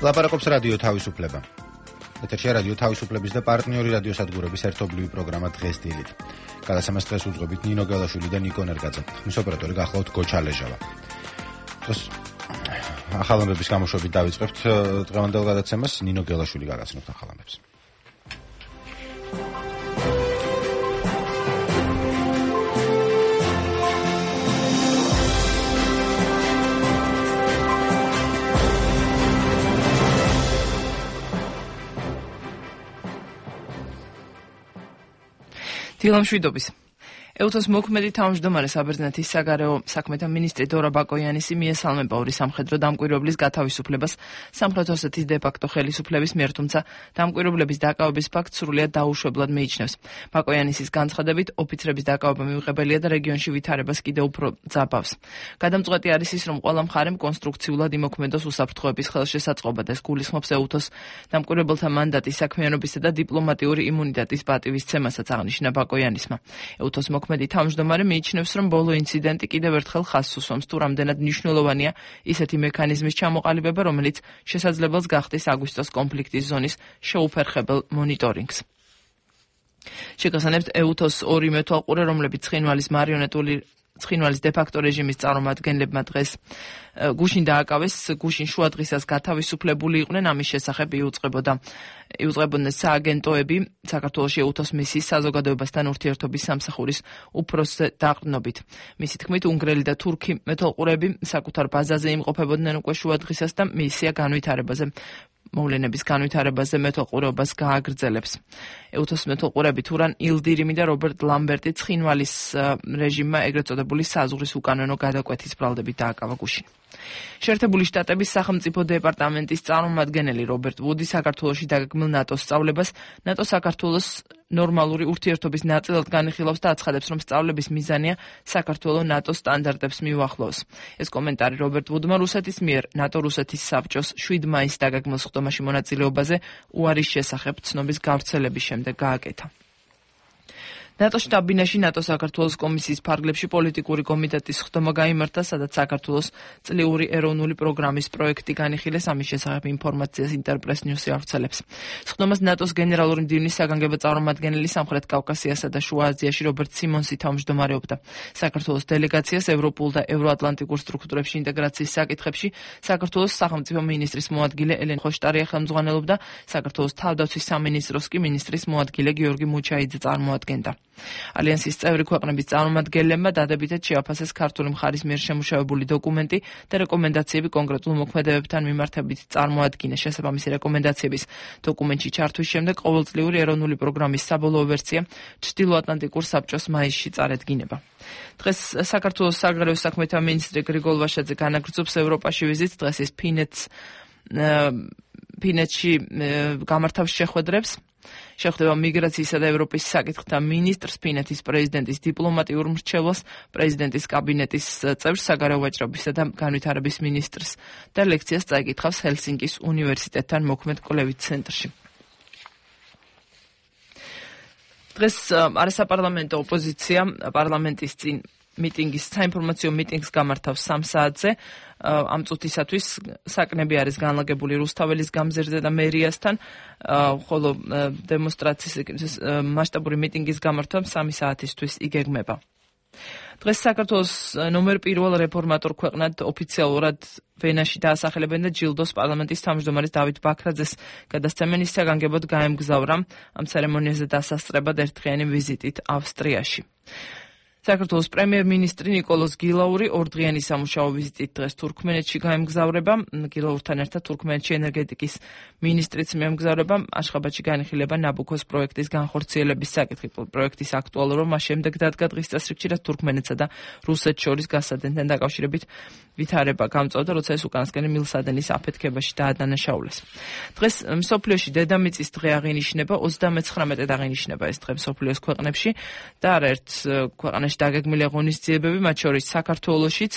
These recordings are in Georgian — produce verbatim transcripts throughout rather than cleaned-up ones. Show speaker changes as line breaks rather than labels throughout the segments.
ლაპარაკობს რადიო თავისუფლება. ეთერშია რადიო თავისუფლების და პარტნიორი რადიოსადგურების ერთობლივი პროგრამა დღეს დილით. გადაცემას დღეს უძღვებით ნინო გელაშვილი და ნიკო ნერგაძე. ხმის ოპერატორი გახლავთ გოჩა ლეჟავა. დღეს ახალ ამბების გამოშვებით დავიწყებთ დღევანდელ გადაცემას. ნინო გელაშვილი გაგაცნობთ ახალ ამბებს.
დილამშვიდობის. ევთოს მოქმედი თავმჯდომარე საბერძნეთის საგარეო საქმეთა მინისტრი დორა ბაკოიანისი მიესალმება ორი სამხედრო დამკვირვებლის გათავისუფლებას სამხრეთ ოსეთის დე-ფაქტო ხელისუფლების მიერ, თუმცა დამკვირვებლების დაკავების ფაქტს სრულიად დაუშვებლად მიიჩნევს. ბაკოიანისის განცხადებით, ოფიცრების დაკავება მიუღებელია და რეგიონში ვითარებას კიდევ უფრო ძაბავს. გადამწყვეტი არის ის, რომ ყველა მხარემ კონსტრუქციულად იმოქმედოს უსაფრთხოების ხელშესაწყობა და ეს გულისხმობს ევთოს დამკვირვებელთა მანდატის საქმიანობისა და დიპლომატიური იმუნიტეტის პატივისცემასაც, აღნიშნა ბაკოიანისმა. ევთოს მოქმედი თავმჯდომარე მიიჩნევს, რომ ბოლო ინციდენტი კიდევ ერთხელ ხაზს უსვამს, თუ რამდენად მნიშვნელოვანია ისეთი მექანიზმის ჩამოყალიბება, რომელიც შესაძლებელს გახდის აგვისტოს კონფლიქტის ზონის შეუფერხებელ მონიტორინგს. შეგახსენებთ, ევთოს ორი მეთვალყურე, რომლებიც ცხინვალის მარიონეტული ცხინვალის დე-ფაქტო რეჟიმის წარმომადგენლებმა დღეს გუშინ დააკავეს, გუშინ შუადღისას გათავისუფლებული იყვნენ, ამის შესახებ იუწყებოდა იუწყებოდნენ სააგენტოები საქართველოში ევთოს მისიის საზოგადოებასთან ურთიერთობის სამსახურის უფროსზე დაყრდნობით. მისი თქმით, უნგრელი და თურქი მეთვალყურეები საკუთარ ბაზაზე იმყოფებოდნენ უკვე შუადღისას და მისია განვითარებაზე მოვლენების განვითარებაზე მეთვალყურეობას გააგრძელებს. ევთოს მეთვალყურეები თურან ილდირიმი და რობერტ ლამბერტი ცხინვალის რეჟიმმა ეგრეთ წოდებული საზღვრის უკანონო გადაკვეთის ბრალდებით დააკავა გუშინ. შეერთებული შტატების სახელმწიფო დეპარტამენტის წარმომადგენელი რობერტ ვუდი საქართველოში დაგეგმილ ნატოს სწავლებას ნატო საქართველოს ნორმალური ურთიერთობის ნაწილად განიხილავს და აცხადებს, რომ სწავლების მიზანია საქართველო ნატოს სტანდარტებს მიუახლოვოს. ეს კომენტარი რობერტ ვუდმა რუსეთის მიერ ნატო-რუსეთის საბჭოს შვიდ მაისს დაგეგმილ სხდომაში მონაწილეობაზე უარის შესახებ ცნობის გავრცელების შემდეგ გააკეთა. ნატოს შტაბ-ბინაში ნატო საქართველოს კომისიის ფარგლებში პოლიტიკური კომიტეტის სხდომა გაიმართა, სადაც საქართველოს წლიური ეროვნული პროგრამის პროექტი განიხილეს, ამის შესახებ ინფორმაციას ინტერპრეს ნიუსი ავრცელებს. სხდომას ნატოს გენერალური მდივნის საგანგებო წარმომადგენელი სამხრეთ კავკასიასა და შუა აზიაში რობერტ სიმონსი თავმჯდომარეობდა. საქართველოს დელეგაციას ევროპულ და ევროატლანტიკურ სტრუქტურებში ინტეგრაციის საკითხებში საქართველოს სახელმწიფო მინისტრის მოადგილე ელენ ხოშტარია ხელმძღვანელობდა, საქართველოს თავდაცვის სამინისტროს კი მინისტრის მოადგილე გიორგი მუჩაიძე წარმოადგენდა. ალიანსის წევრი ქვეყნების წარმომადგენლებმა დადებითად შეაფასეს ქართული მხარის მიერ შემუშავებული დოკუმენტი და რეკომენდაციები კონკრეტულ მოქმედებებთან მიმართებით წარმოადგინეს. შესაბამისი რეკომენდაციების დოკუმენტში ჩართვის შემდეგ ყოველწლიური ეროვნული პროგრამის საბოლოო ვერსია ჩრდილოატლანტიკურ საბჭოს მაისში წარედგინება. დღეს საქართველოს საგარეო საქმეთა მინისტრი გრიგოლ ვაშაძე განაგრძობს ევროპაში ვიზიტს. დღეს ის ფინეთს ფინეთში გამართავს შეხვედრებს. შეხვდება მიგრაციისა და ევროპის საკითხთა მინისტრს, ფინეთის პრეზიდენტის დიპლომატიურ მრჩევლს, პრეზიდენტის კაბინეტის წევრს, საგარეო ვაჭრობისა და განვითარების მინისტრს და ლექციას წაიკითხავს ჰელსინკის უნივერსიტეტთან მოქმედ კვლევით ცენტრში. დღეს არასაპარლამენტო ოპოზიცია პარლამენტის წინ მიტინგის საინფორმაციო მიტინგს გამართავს სამ საათზე. ამ წუთისათვის საკნები არის განლაგებული რუსთაველის გამზირზე და მერიასთან, ხოლო დემონსტრაციის მასშტაბური მიტინგის გამართვა სამი საათისთვის იგეგმება. დღეს საქართველოს ნომერ პირველ რეფორმატორ ქვეყნად ოფიციალურად ვენაში დაასახელებენ და ჯილდოს პარლამენტის თავმჯდომარის დავით ბაქრაძეს გადასცემენ, ის საგანგებოდ გაემგზავრა ამ ცერემონიაზე დასასწრებად ერთდღიანი ვიზიტით ავსტრიაში. საქართველოს პრემიერ-მინისტრი ნიკოლოზ გილაური ორდღიანი სამუშაო ვიზიტით დღეს თურქმენეთში გაემგზავრება. გილაურთან ერთად თურქმენეთში ენერგეტიკის მინისტრიც მიემგზავრება. აშხაბადში განიხილება ნაბუქოს პროექტის განხორციელების საკითხი. პროექტის აქტუალურობა მას შემდეგ დადგა დღის წესრიგში, რაც თურქმენეთსა და რუსეთს შორის გასადენთან დაკავშირებით ვითარება გამწვავდა, როცა ეს უკანასკნელი მილსადენის აფეთქებაში დაადანაშაულეს. დღეს მსოფლიოში დედამიწის დღე აღინიშნება, ოცდამეცხრამეტედ აღინიშნება ეს დღე მსოფლიოს ქვეყნებში და არაერთ ქვეყანაში დაგეგმილი ღონისძიებები, მათ შორის საქართველოშიც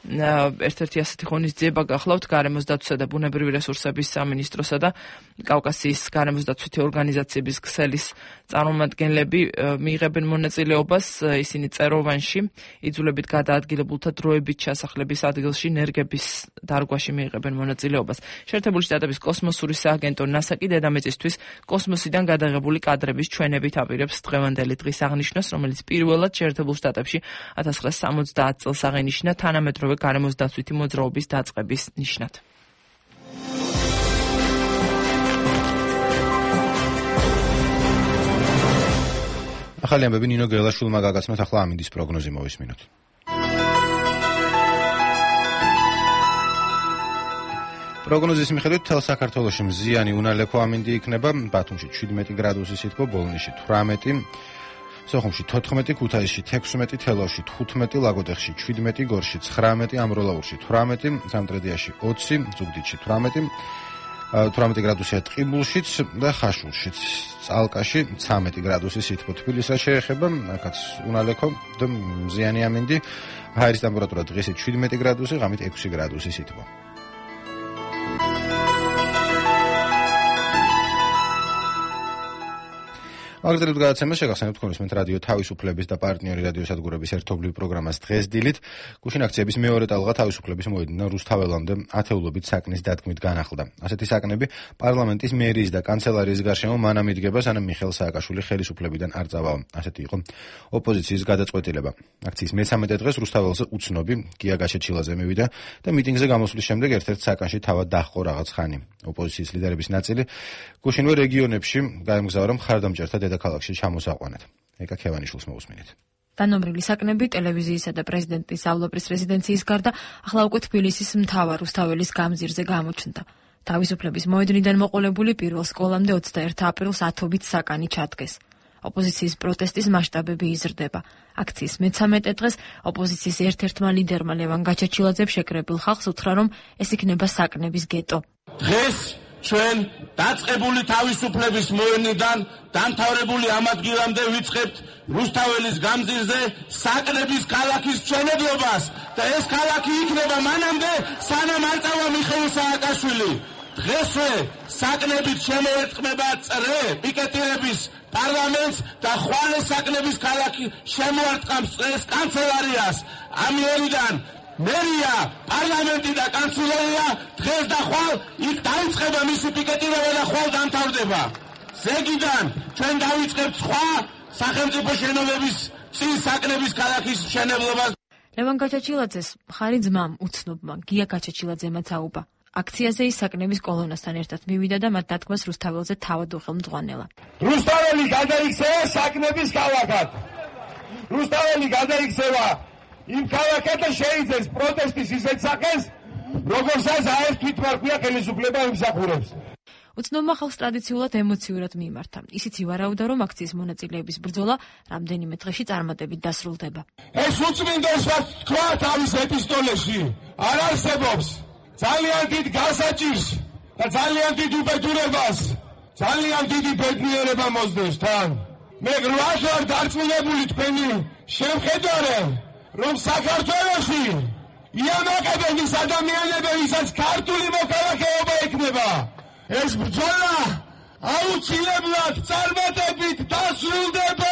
ერთ-ერთი ასეთი ღონისძიება გახლავთ გარემოს დაცვისა და ბუნებრივი რესურსების სამინისტროსა და კავკასიის გარემოს დაცვითი ორგანიზაციების ქსელის წარმომადგენლები მიიღებენ მონაწილეობას. ისინი წეროვანში იძულებით გადაადგილებულთა დროებით ჩასახლების ადგილში ნერგების დარგვაში მიიღებენ მონაწილეობას. შეერთებული შტატების კოსმოსური სააგენტო ნასა კი დედამიწისთვის კოსმოსიდან გადაღებული კადრების ჩვენებით აპირებს დღევანდელი დღის აღნიშვნას, რომელიც პირველად შეერთებულ შტატებში ათას ცხრაასი სამოცდაათ წელს აღინიშნა თანამედროვე გარემოს დაცვითი მოძრაობის დაწყების ნიშნად.
ახალი ამბები ნინო გელაშვილმა გაგაცნოთ, ახლა ამინდის პროგნოზი მოვისმინოთ. პროგნოზის მიხედვით მთელ საქართველოში მზიანი უნალექო ამინდი იქნება, ბათუმში შვიდმეტი გრადუსი სითბო, ბოლნისში თვრამეტი, სოხუმში თოთხმეტი, ქუთაისში თექვსმეტი, თელავში თხუთმეტი, ლაგოდეხში შვიდმეტი, გორში ცხრამეტი, ამროლაურში თვრამეტი, სამტრედიაში ოცი, ზუგდიდში თვრამეტი, თვრამეტი გრადუსია ტყიბულშიც და ხაშულშიც. წალკაში ცხრამეტი გრადუსი სითბო. თბილისს შეეხება, აქაც უნალექო და მზიანი ამინდი, ჰაერის ტემპერატურა დღესაც შვიდმეტი გრადუსი, ღამით ექვსი გრადუსი სითბო. აგრეთვე გადაცემა შეგახსენებთ თქვენ ისმენთ რადიო თავისუფლების და პარტნიორი რადიოსადგურების ერთობლივ პროგრამას დღეს დილით. გუშინ აქციების მეორე ტალღა თავისუფლების მოედნიდან რუსთაველამდე ათეულობით საკნის დადგმით განახლდა. ასეთი საკნები პარლამენტის მერიის და კანცელარიის გარშემო მანამ იდგება, სანამ მიხეილ სააკაშვილი ხელისუფლებიდან არ წავა. ასეთი იყო ოპოზიციის გადაწყვეტილება. აქციის მესამედე დღეს რუსთაველზე უცნობი გია გაჩეჩილაძე მივიდა და მიტინგზე გამოსვლის შემდეგ ერთ-ერთ საკანში თავად დაჰყო რაღაც ხანი. ოპოზიციის ლიდერების ნაწილი გუშინვე რეგიონებში გაემგზავრა მხარდამჭერთა დედაქალაქში ჩამოსაყვანად. ეკა ქევანიშვილს მოусმინეთ.
დანომრილი საკნები ტელევიზიისა და პრეზიდენტის ავლოპრის რეზიდენციის გარდა ახლა უკვე თბილისის მთავარ რუსთაველის გამზირზე გამოჩნდა. თავისუფლების მოედნიდან მოყოლებული პირველ სკოლამდე ოცდაერთი აპრილს ათობით საკანი ჩადგეს. ოპოზიციის პროტესტის მასშტაბები იზრდება. აქციის მესამედე დღეს ოპოზიციის ერთ-ერთმა ლიდერმა ლევან გაჩეჩილაძემ შეკრებილ ხალხს უთხრა, რომ ეს იქნება საკნების გეტო.
დღეს ჩვენ დაწყებული თავისუფლების მოედნიდან დამთავრებული ამ ადგილამდე ვიწყებთ რუსთაველის გამზირზე საკნების ქალაქის მშენებლობას და ეს ქალაქი იქნება მანამდე, სანამ არ წავა მიხეილ სააკაშვილი. დღესვე საკნებით შემოერტყმება წრე პიკეტირების პარლამენტს და ხვალე საკნების ქალაქი შემოარტყამს წრეს კანცელარიას. ამიერიდან მერია, პარლამენტი და კანცელარია დღეს და ხვალ იქ დაიწყება მისი პიკეტირება და ხვალ დამთავრდება. ზეგიდან ჩვენ დავიწყებთ სხვა სახელმწიფო შენობების წინ საკნების ქალაქის მშენებლობას.
ლევან გაჩეჩილაძეს მხარი ძმამ უცნობმა გია გაჩეჩილაძემაც აუბა. აქციაზე ის საკნების კოლონასთან ერთად მივიდა და მათ დადგმას რუსთაველზე თავად უხელმძღვანელა.
რუსთაველი გადაიქცევა საკნების ქალაქად. რუსთაველი გადაიქცევა იმ ქალაქად და შეიძენს პროტესტის ისეთ სახეს, როგორცაც აეს თვითმარქვია ხელისუფლება იმსახურებს.
უცნობმა ხალხს ტრადიციულად ემოციურად მიმართა. ისიც ივარაუდა, რომ აქციის მონაწილეების ბრძოლა რამდენიმე დღეში წარმატებით დასრულდება.
ეს უწმინდოს რაც თქვა თავის ეპისტოლეში არ არსებობს. ძალიან დიდ გასაჭირს და ძალიან დიდ უბედურებას, ძალიან დიდი ბედნიერება მოსდევს თან. მე გვარ ვარ დარწმუნებული თქვენი შემხედარე, რომ საქართველოში იამაკებენ ის ადამიანები, ვისაც ქართული მოქალაქეობა ექნება. ეს ბრძოლა აუცილებლად წარმატებით დასრულდება.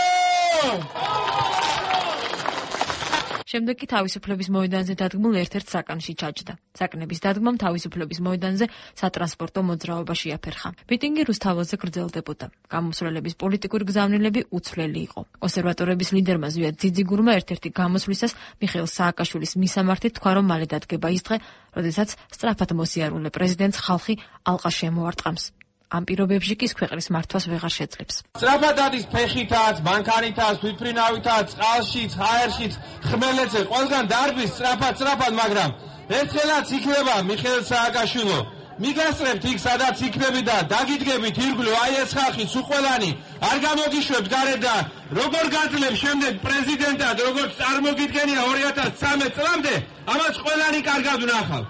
შემდეგ კი თავისუფლების მოედანზე დადგმულ ერთ-ერთ საკანში ჩაჯდა. საკნების დადგმამ თავისუფლების მოედანზე სატრანსპორტო მოძრაობა შეაფერხა. მიტინგი რუსთაველზე გრძელდებოდა. გამოსვლელების პოლიტიკური გზავნილები უცვლელი იყო. კონსერვატორების ლიდერმა ზვიად ძიძიგურმა ერთ-ერთი გამოსვლისას მიხეილ სააკაშვილის მისამართით თქვა, რომ მალე დადგება ის დღე, როდესაც სწრაფად მოსიარულე პრეზიდენტს ხალხი ალყა შემოარტყამს. ამ პირობებში კი ქვეყნის მართვას ვეღარ შეძლებს.
სწრაფად არის ფეხითაც, მანქანითაც, თვითმფრინავითაც, წყალშიც, ჰაერშიც, ხმელეთზე, ყველგან დარბის სწრაფად, სწრაფად, მაგრამ ერთხელაც იქნება მიხეილ სააკაშვილო. მიგასწრებთ იქ, სადაც იქნები და დაგიდგებით ირგვლივ, აი ეს ხალხი სუყველანი, არ გამოგიშვებთ გარედან, როგორ გაძლებ შემდეგ პრეზიდენტად, როგორც წარმოგიდგენია ორი ათას ცხრამეტ წლამდე, ამას ყველანი კარგად ვნახავთ.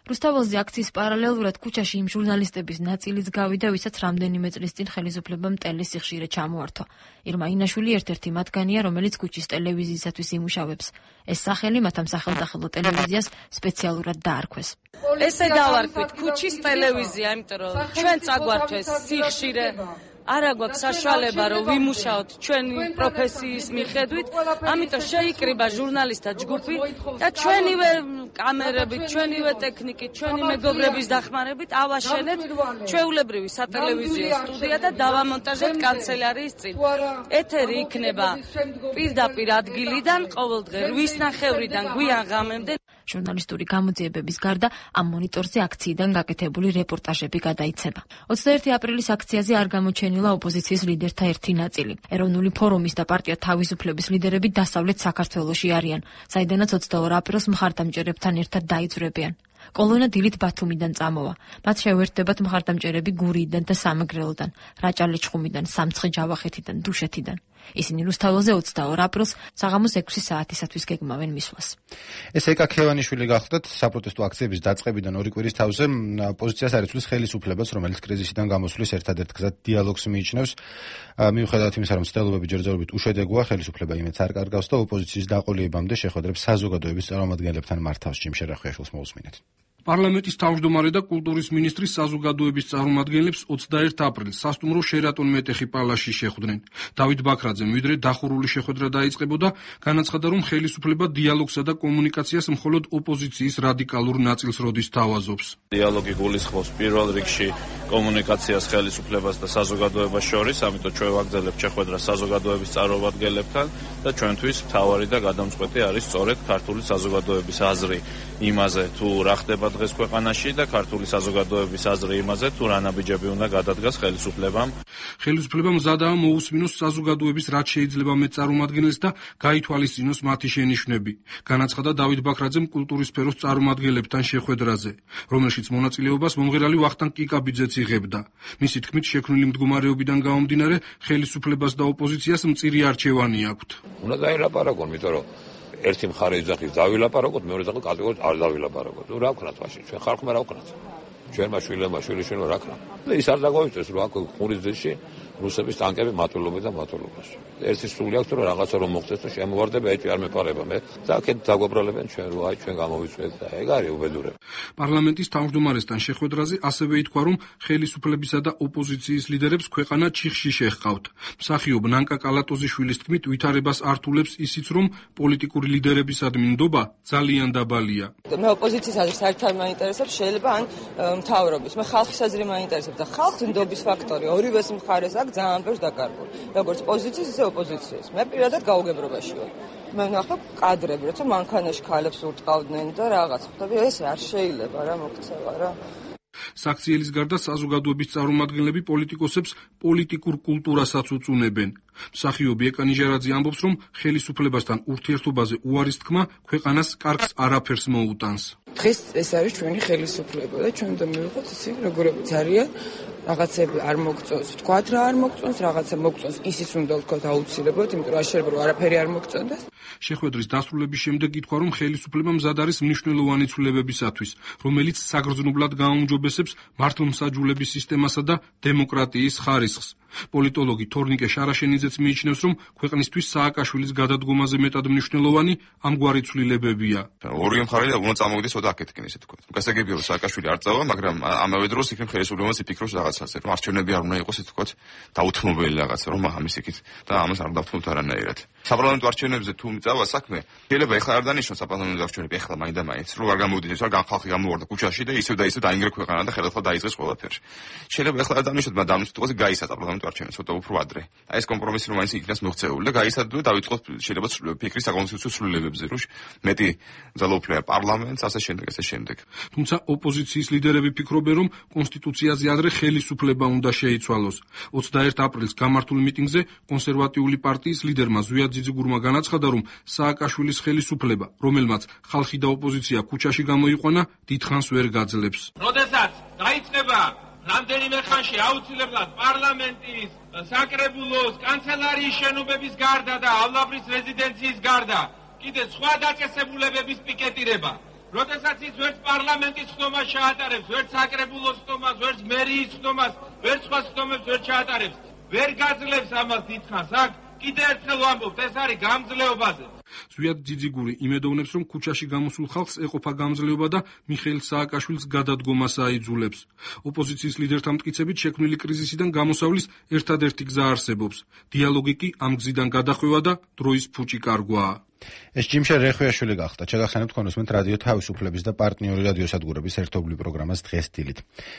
რუსთაველზე აქციის პარალელურად ქუჩაში იმ ჟურნალისტების ნაწილიც გავიდა, ვისაც რამდენიმე წლის წინ ხელისუფლებამ ტელის სიხშირე ჩამოართვა. ირმა ინაშვილი ერთ-ერთი მათგანია, რომელიც ქუჩის ტელევიზიისათვის იმუშავებს. ეს სახელი მათ ამ სახელმწიფო ტელევიზიას სპეციალურად დაარქვეს.
ესე დავარქვით ქუჩის ტელევიზია, იმიტომ რომ ჩვენ წაგვართვეს სიხშირე. არა გვაქვს საშუალება რომ ვიმუშაოთ ჩვენი პროფესიის მიხედვით, ამიტომ შეიკრიბა ჟურნალისტთა ჯგუფი და ჩვენივე კამერებით, ჩვენივე ტექნიკით, ჩვენი მეგობრების დახმარებით ავაშენეთ ჩვეულებრივი სატელევიზიო სტუდია და დავამონტაჟეთ კანცელარიის წინ. ეთერი იქნება პირდაპირ ადგილიდან ყოველდღე რვის ნახევრიდან გვიან ღამემდე.
ჟურნალისტური გამოძიებების გარდა ამ მონიტორზე აქციიდან გაკეთებული რეპორტაჟები გადაიცემა. ოცდაერთი აპრილის აქციაზე არ გამოჩენილა ოპოზიციის ლიდერთა ერთი ნაწილი. ეროვნული ფორუმის და პარტია თავისუფლების ლიდერები დასავლეთ საქართველოში არიან, საიდანაც ოცდაორ აპრილს მხარდამჭერებთან ერთად დაიძვრებიან. კოლონა დილით ბათუმიდან წამოვა. მათ შეუერთდებათ მხარდამჭერები გურიიდან და სამეგრელოდან, რაჭა-ლეჩხუმიდან, სამცხე-ჯავახეთიდან, დუშეთიდან. ისინი რუსთაველზე ოცდაორ აპრილს საღამოს ექვსი საათისათვის გეგმავენ მისვლას.
ეს ეკა ქევანიშვილი გახლდათ საპროტესტო აქციების დაწყებიდან ორი კვირის თავზე პოზიციას არ იცვლის ხელისუფლებას, რომელიც კრიზისიდან გამოსვლის ერთადერთ გზად დიალოგს მიიჩნევს. მიუხედავად იმისა, რომ მცდელობები ჯერჯერობით უშედეგოა, ხელისუფლება იმედს არ კარგავს და ოპოზიციის დაყოლიებამდე შეხვედრებს საზოგადოების წარმომადგენლებთან მართავს. ჯიმ შერახვიაშვილს მოусმინეთ.
პარლამენტის თავმჯდომარე და კულტურის მინისტრი საზოგადოების წარმომადგენლებს ოცდაერთ აპრილს სასტუმრო შერატონ მეტეხი პალასში შეხვდნენ. დავით ბაქრაძე მივიდრე დახურული შეხვედრა დაიწყებოდა, განაცხადა, რომ ხელისუფლება დიალოგსა და კომუნიკაციას მხოლოდ ოპოზიციის რადიკალურ ნაწილს როდის თავაზობს.
დიალოგი გულისხმობს პირველ რიგში კომუნიკაციას ხელისუფლებას და საზოგადოებას შორის, ამიტომ ჩვენ ვაგრძელებთ შეხვედრას საზოგადოების წარმომადგენლებთან და ჩვენთვის მთავარი და გადამწყვეტი არის სწორედ ქართული საზოგადოების აზრი იმაზე, თუ რა ხდება დღეს ქვეყანაში და ქართული საზოგადოების აზრი იმაზე, თუ რა ნაბიჯები უნდა გადადგას ხელისუფლებამ.
ხელისუფლებამ მზადაა მოусმინოს საზოგადოების რაც შეიძლება მეტ წარმომადგენელს და გაითვალისწინოს მათი შენიშვნები. განაცხადა დავით ბაქრაძემ კულტურის სფეროს წარმომადგენლებთან შეხვედრაზე, რომელშიც მონაწილეობას მომღერალი ვახტანგ კიკაბიძეც იღებდა. მისი თქმით, შექმნილი მდგომარეობიდან გამომდინარე, ხელისუფლებას და ოპოზიციას მწირი არჩევანი აქვთ.
უნდა დაილაპარაკონ, იმიტომ რომ ერთი მხარე იძახის დავილაპარაკოთ, მეორე იძახის კატეგორიულად არ დავილაპარაკოთ. რა ვქნათ მაშინ? ჩვენ ხალხმა რა ვქნათ? ჩვენმა შვილებმა, შვილიშვილმა რა ქნა? ის არ დაგვაიწეს, რომ აქ ხურის ძეში რუსების ტანკები მატულობენ და მატულობას. ერთი სული აქვს, რომ რაღაცა რომ მოხდეს და შემოვარდება, ეჭვი არ მეპარება მე. და აქეთ დაგვაბრალებენ ჩვენ, რომ აი ჩვენ გამოვიწვეთ და ეგ არის უბედურება.
პარლამენტის თავმჯდომარესთან შეხვედრაზე ასევე ითქვა, რომ ხელისუფლებისა და ოპოზიციის ლიდერებს ქვეყანა ჩიხში შეჰყავთ. მსახიობ ნანკა კალატოზიშვილის თქმით, ვითარებას ართულებს ისიც, რომ პოლიტიკური ლიდერებისადმი ნდობა ძალიან დაბალია.
მე ოპოზიციის აზრს საერთოდ არ მაინტერესებს, შეიძლება ან მთავრობის. მე ხალხის აზრი მაინტერესებს და ხალხის ნდობის ფაქტორი ორივეს მხარეს აქვს ძალიან ბევრს დაკარგული. როგორც პოზიციის, ისე ოპოზიციის. მე პირადად გაუგებრობაში ვარ. მე ვნახე კადრები, როცა მანქანაში ქალებს ურტყავდნენ და რაღაც. ხტები, ეს არ შეიძლება რა, მოქცევა რა.
საქციელის გარდა საზოგადოების წარმომადგენლები პოლიტიკოსებს პოლიტიკურ კულტურასაც უწუნებენ. მსახიობი ეკა ნიჟარაძე ამბობს, რომ ხელისუფლებასთან ურთიერთობაზე უარის თქმა ქვეყანას კარგს არაფერს მოუტანს.
დღეს ეს არის ჩვენი ხელისუფლება და ჩვენ უნდა მივიღოთ ისინი როგორებიც არიან. რაღაცები არ მოგწონს, ვთქვათ რა არ მოგწონს, რაღაცა მოგწონს, ისიც უნდა ვთქვათ აუცილებლად, იმიტომ რომ არ შეიძლება რომ არაფერი არ მოგწონდეს.
შეხვედრის დასრულების შემდეგ ითქვა, რომ ხელისუფლება მზად არის მნიშვნელოვანი ცვლილებებისათვის, რომელიც საგრძნობლად გააუმჯობესებს მართლმსაჯულების სისტემასა და დემოკრატიის ხარისხს. პოლიტოლოგი თორნიკე შარაშენიძეც მიიჩნევს, რომ ქვეყნისთვის სააკაშვილის გადადგომაზე მეტად მნიშვნელოვანი ამგვარი ცვლილებებია.
ორივე მხარე უნდა წამოვიდეს ოდა აქეთკენ, ესე თქვა. გასაგებია, რომ სააკაშვილი არ წავა, მაგრამ ამავე დროს იქნებ ხელისუფლებაც იფიქროს რაღაცაზე, რომ არჩევნები არ უნდა იყოს, ესე თქვა, დაუთმობელი რაღაცა, რომ ამის იქით და ამას არ დავთმობთ არანაირად. საპარლამენტო არჩევნებზე თუ წავა საქმე, შეიძლება ეხლა არ დანიშნოს საპარლამენტო არჩევნები, ეხლა მაინდა მაინც, რომ არ გამოვიდეს, რომ განხალხი გამოვარდა ქუჩაში და ისევ და ისევ დაინგრა ქვეყანა და ხელახლა დაიწყეს ყველაფერი. შეიძლება ეხლა არ დანიშნოთ, მაგრამ დამნაშავე გაისა საპარლამენტო არჩევნები ცოტა უფრო ადრე. აი ეს კომპრომისი რომ მაინც იქნას მოღწეული და გაისადო და დავიწყოთ შეიძლება ფიქრის საკონსტიტუციო ცვლილებებზე, რომ მეტი ძალაუფლება პარლამენტს, ასე შემდეგ, ასე შემდეგ.
თუმცა ოპოზიციის ლიდერები ფიქრობენ, რომ კონსტიტუციაზე ადრე ხელისუფლება უნდა შეიცვალოს. ოცდაერთ აპრილს გამართულ მიტინგზე კონსერვატიული პარტიის ლიდერმა ზვიად ძიძიგურმა განაცხადა, რომ სააკაშვილის ხელისუფლება, რომელმაც ხალხი და ოპოზიცია ქუჩაში გამოიყვანა, დიდხანს ვერ გაძლებს.
როდესაც დაიწყება რამდენიმე ხანში აუცილებლად პარლამენტის, საკრებულოს, კანცელარიის შენობების გარდა დაავლაბრის რეზიდენციის გარდა კიდე სხვა დაწესებულებების პიკეტირება როდესაც ის ვერც პარლამენტის ხდომას შეატარებს, ვერც საკრებულოს ხდომას, ვერც მერიის ხდომას, ვერც სხვა ხდომებს ვერ შეატარებს, ვერ გაძლევს ამას დიდხანს, აქ კიდევ ერთხელ ვამბობთ, ეს არის გამძლეობაზე.
ზვიად ძიძიგური იმედოვნებს, რომ ქუჩაში გამოსულ ხალხს ეყოფა გამძლეობა და მიხეილ სააკაშვილის გადადგომას აიძულებს. ოპოზიციის ლიდერთა მტკიცებით შექმნილი კრიზისიდან გამოსავლის ერთადერთი გზა არსებობს. დიალოგი კი ამ გზიდან გადახვევა და დროის ფუჭი კარგვაა.
ეს ჯიმშე რეხვიაშვილი გახდა. ჩაგახსენებთ კონუსმენთ რადიო თავისუფლების და პარტნიორი რადიოსადგურების ერთობლივ პროგრამას დღეს დილით.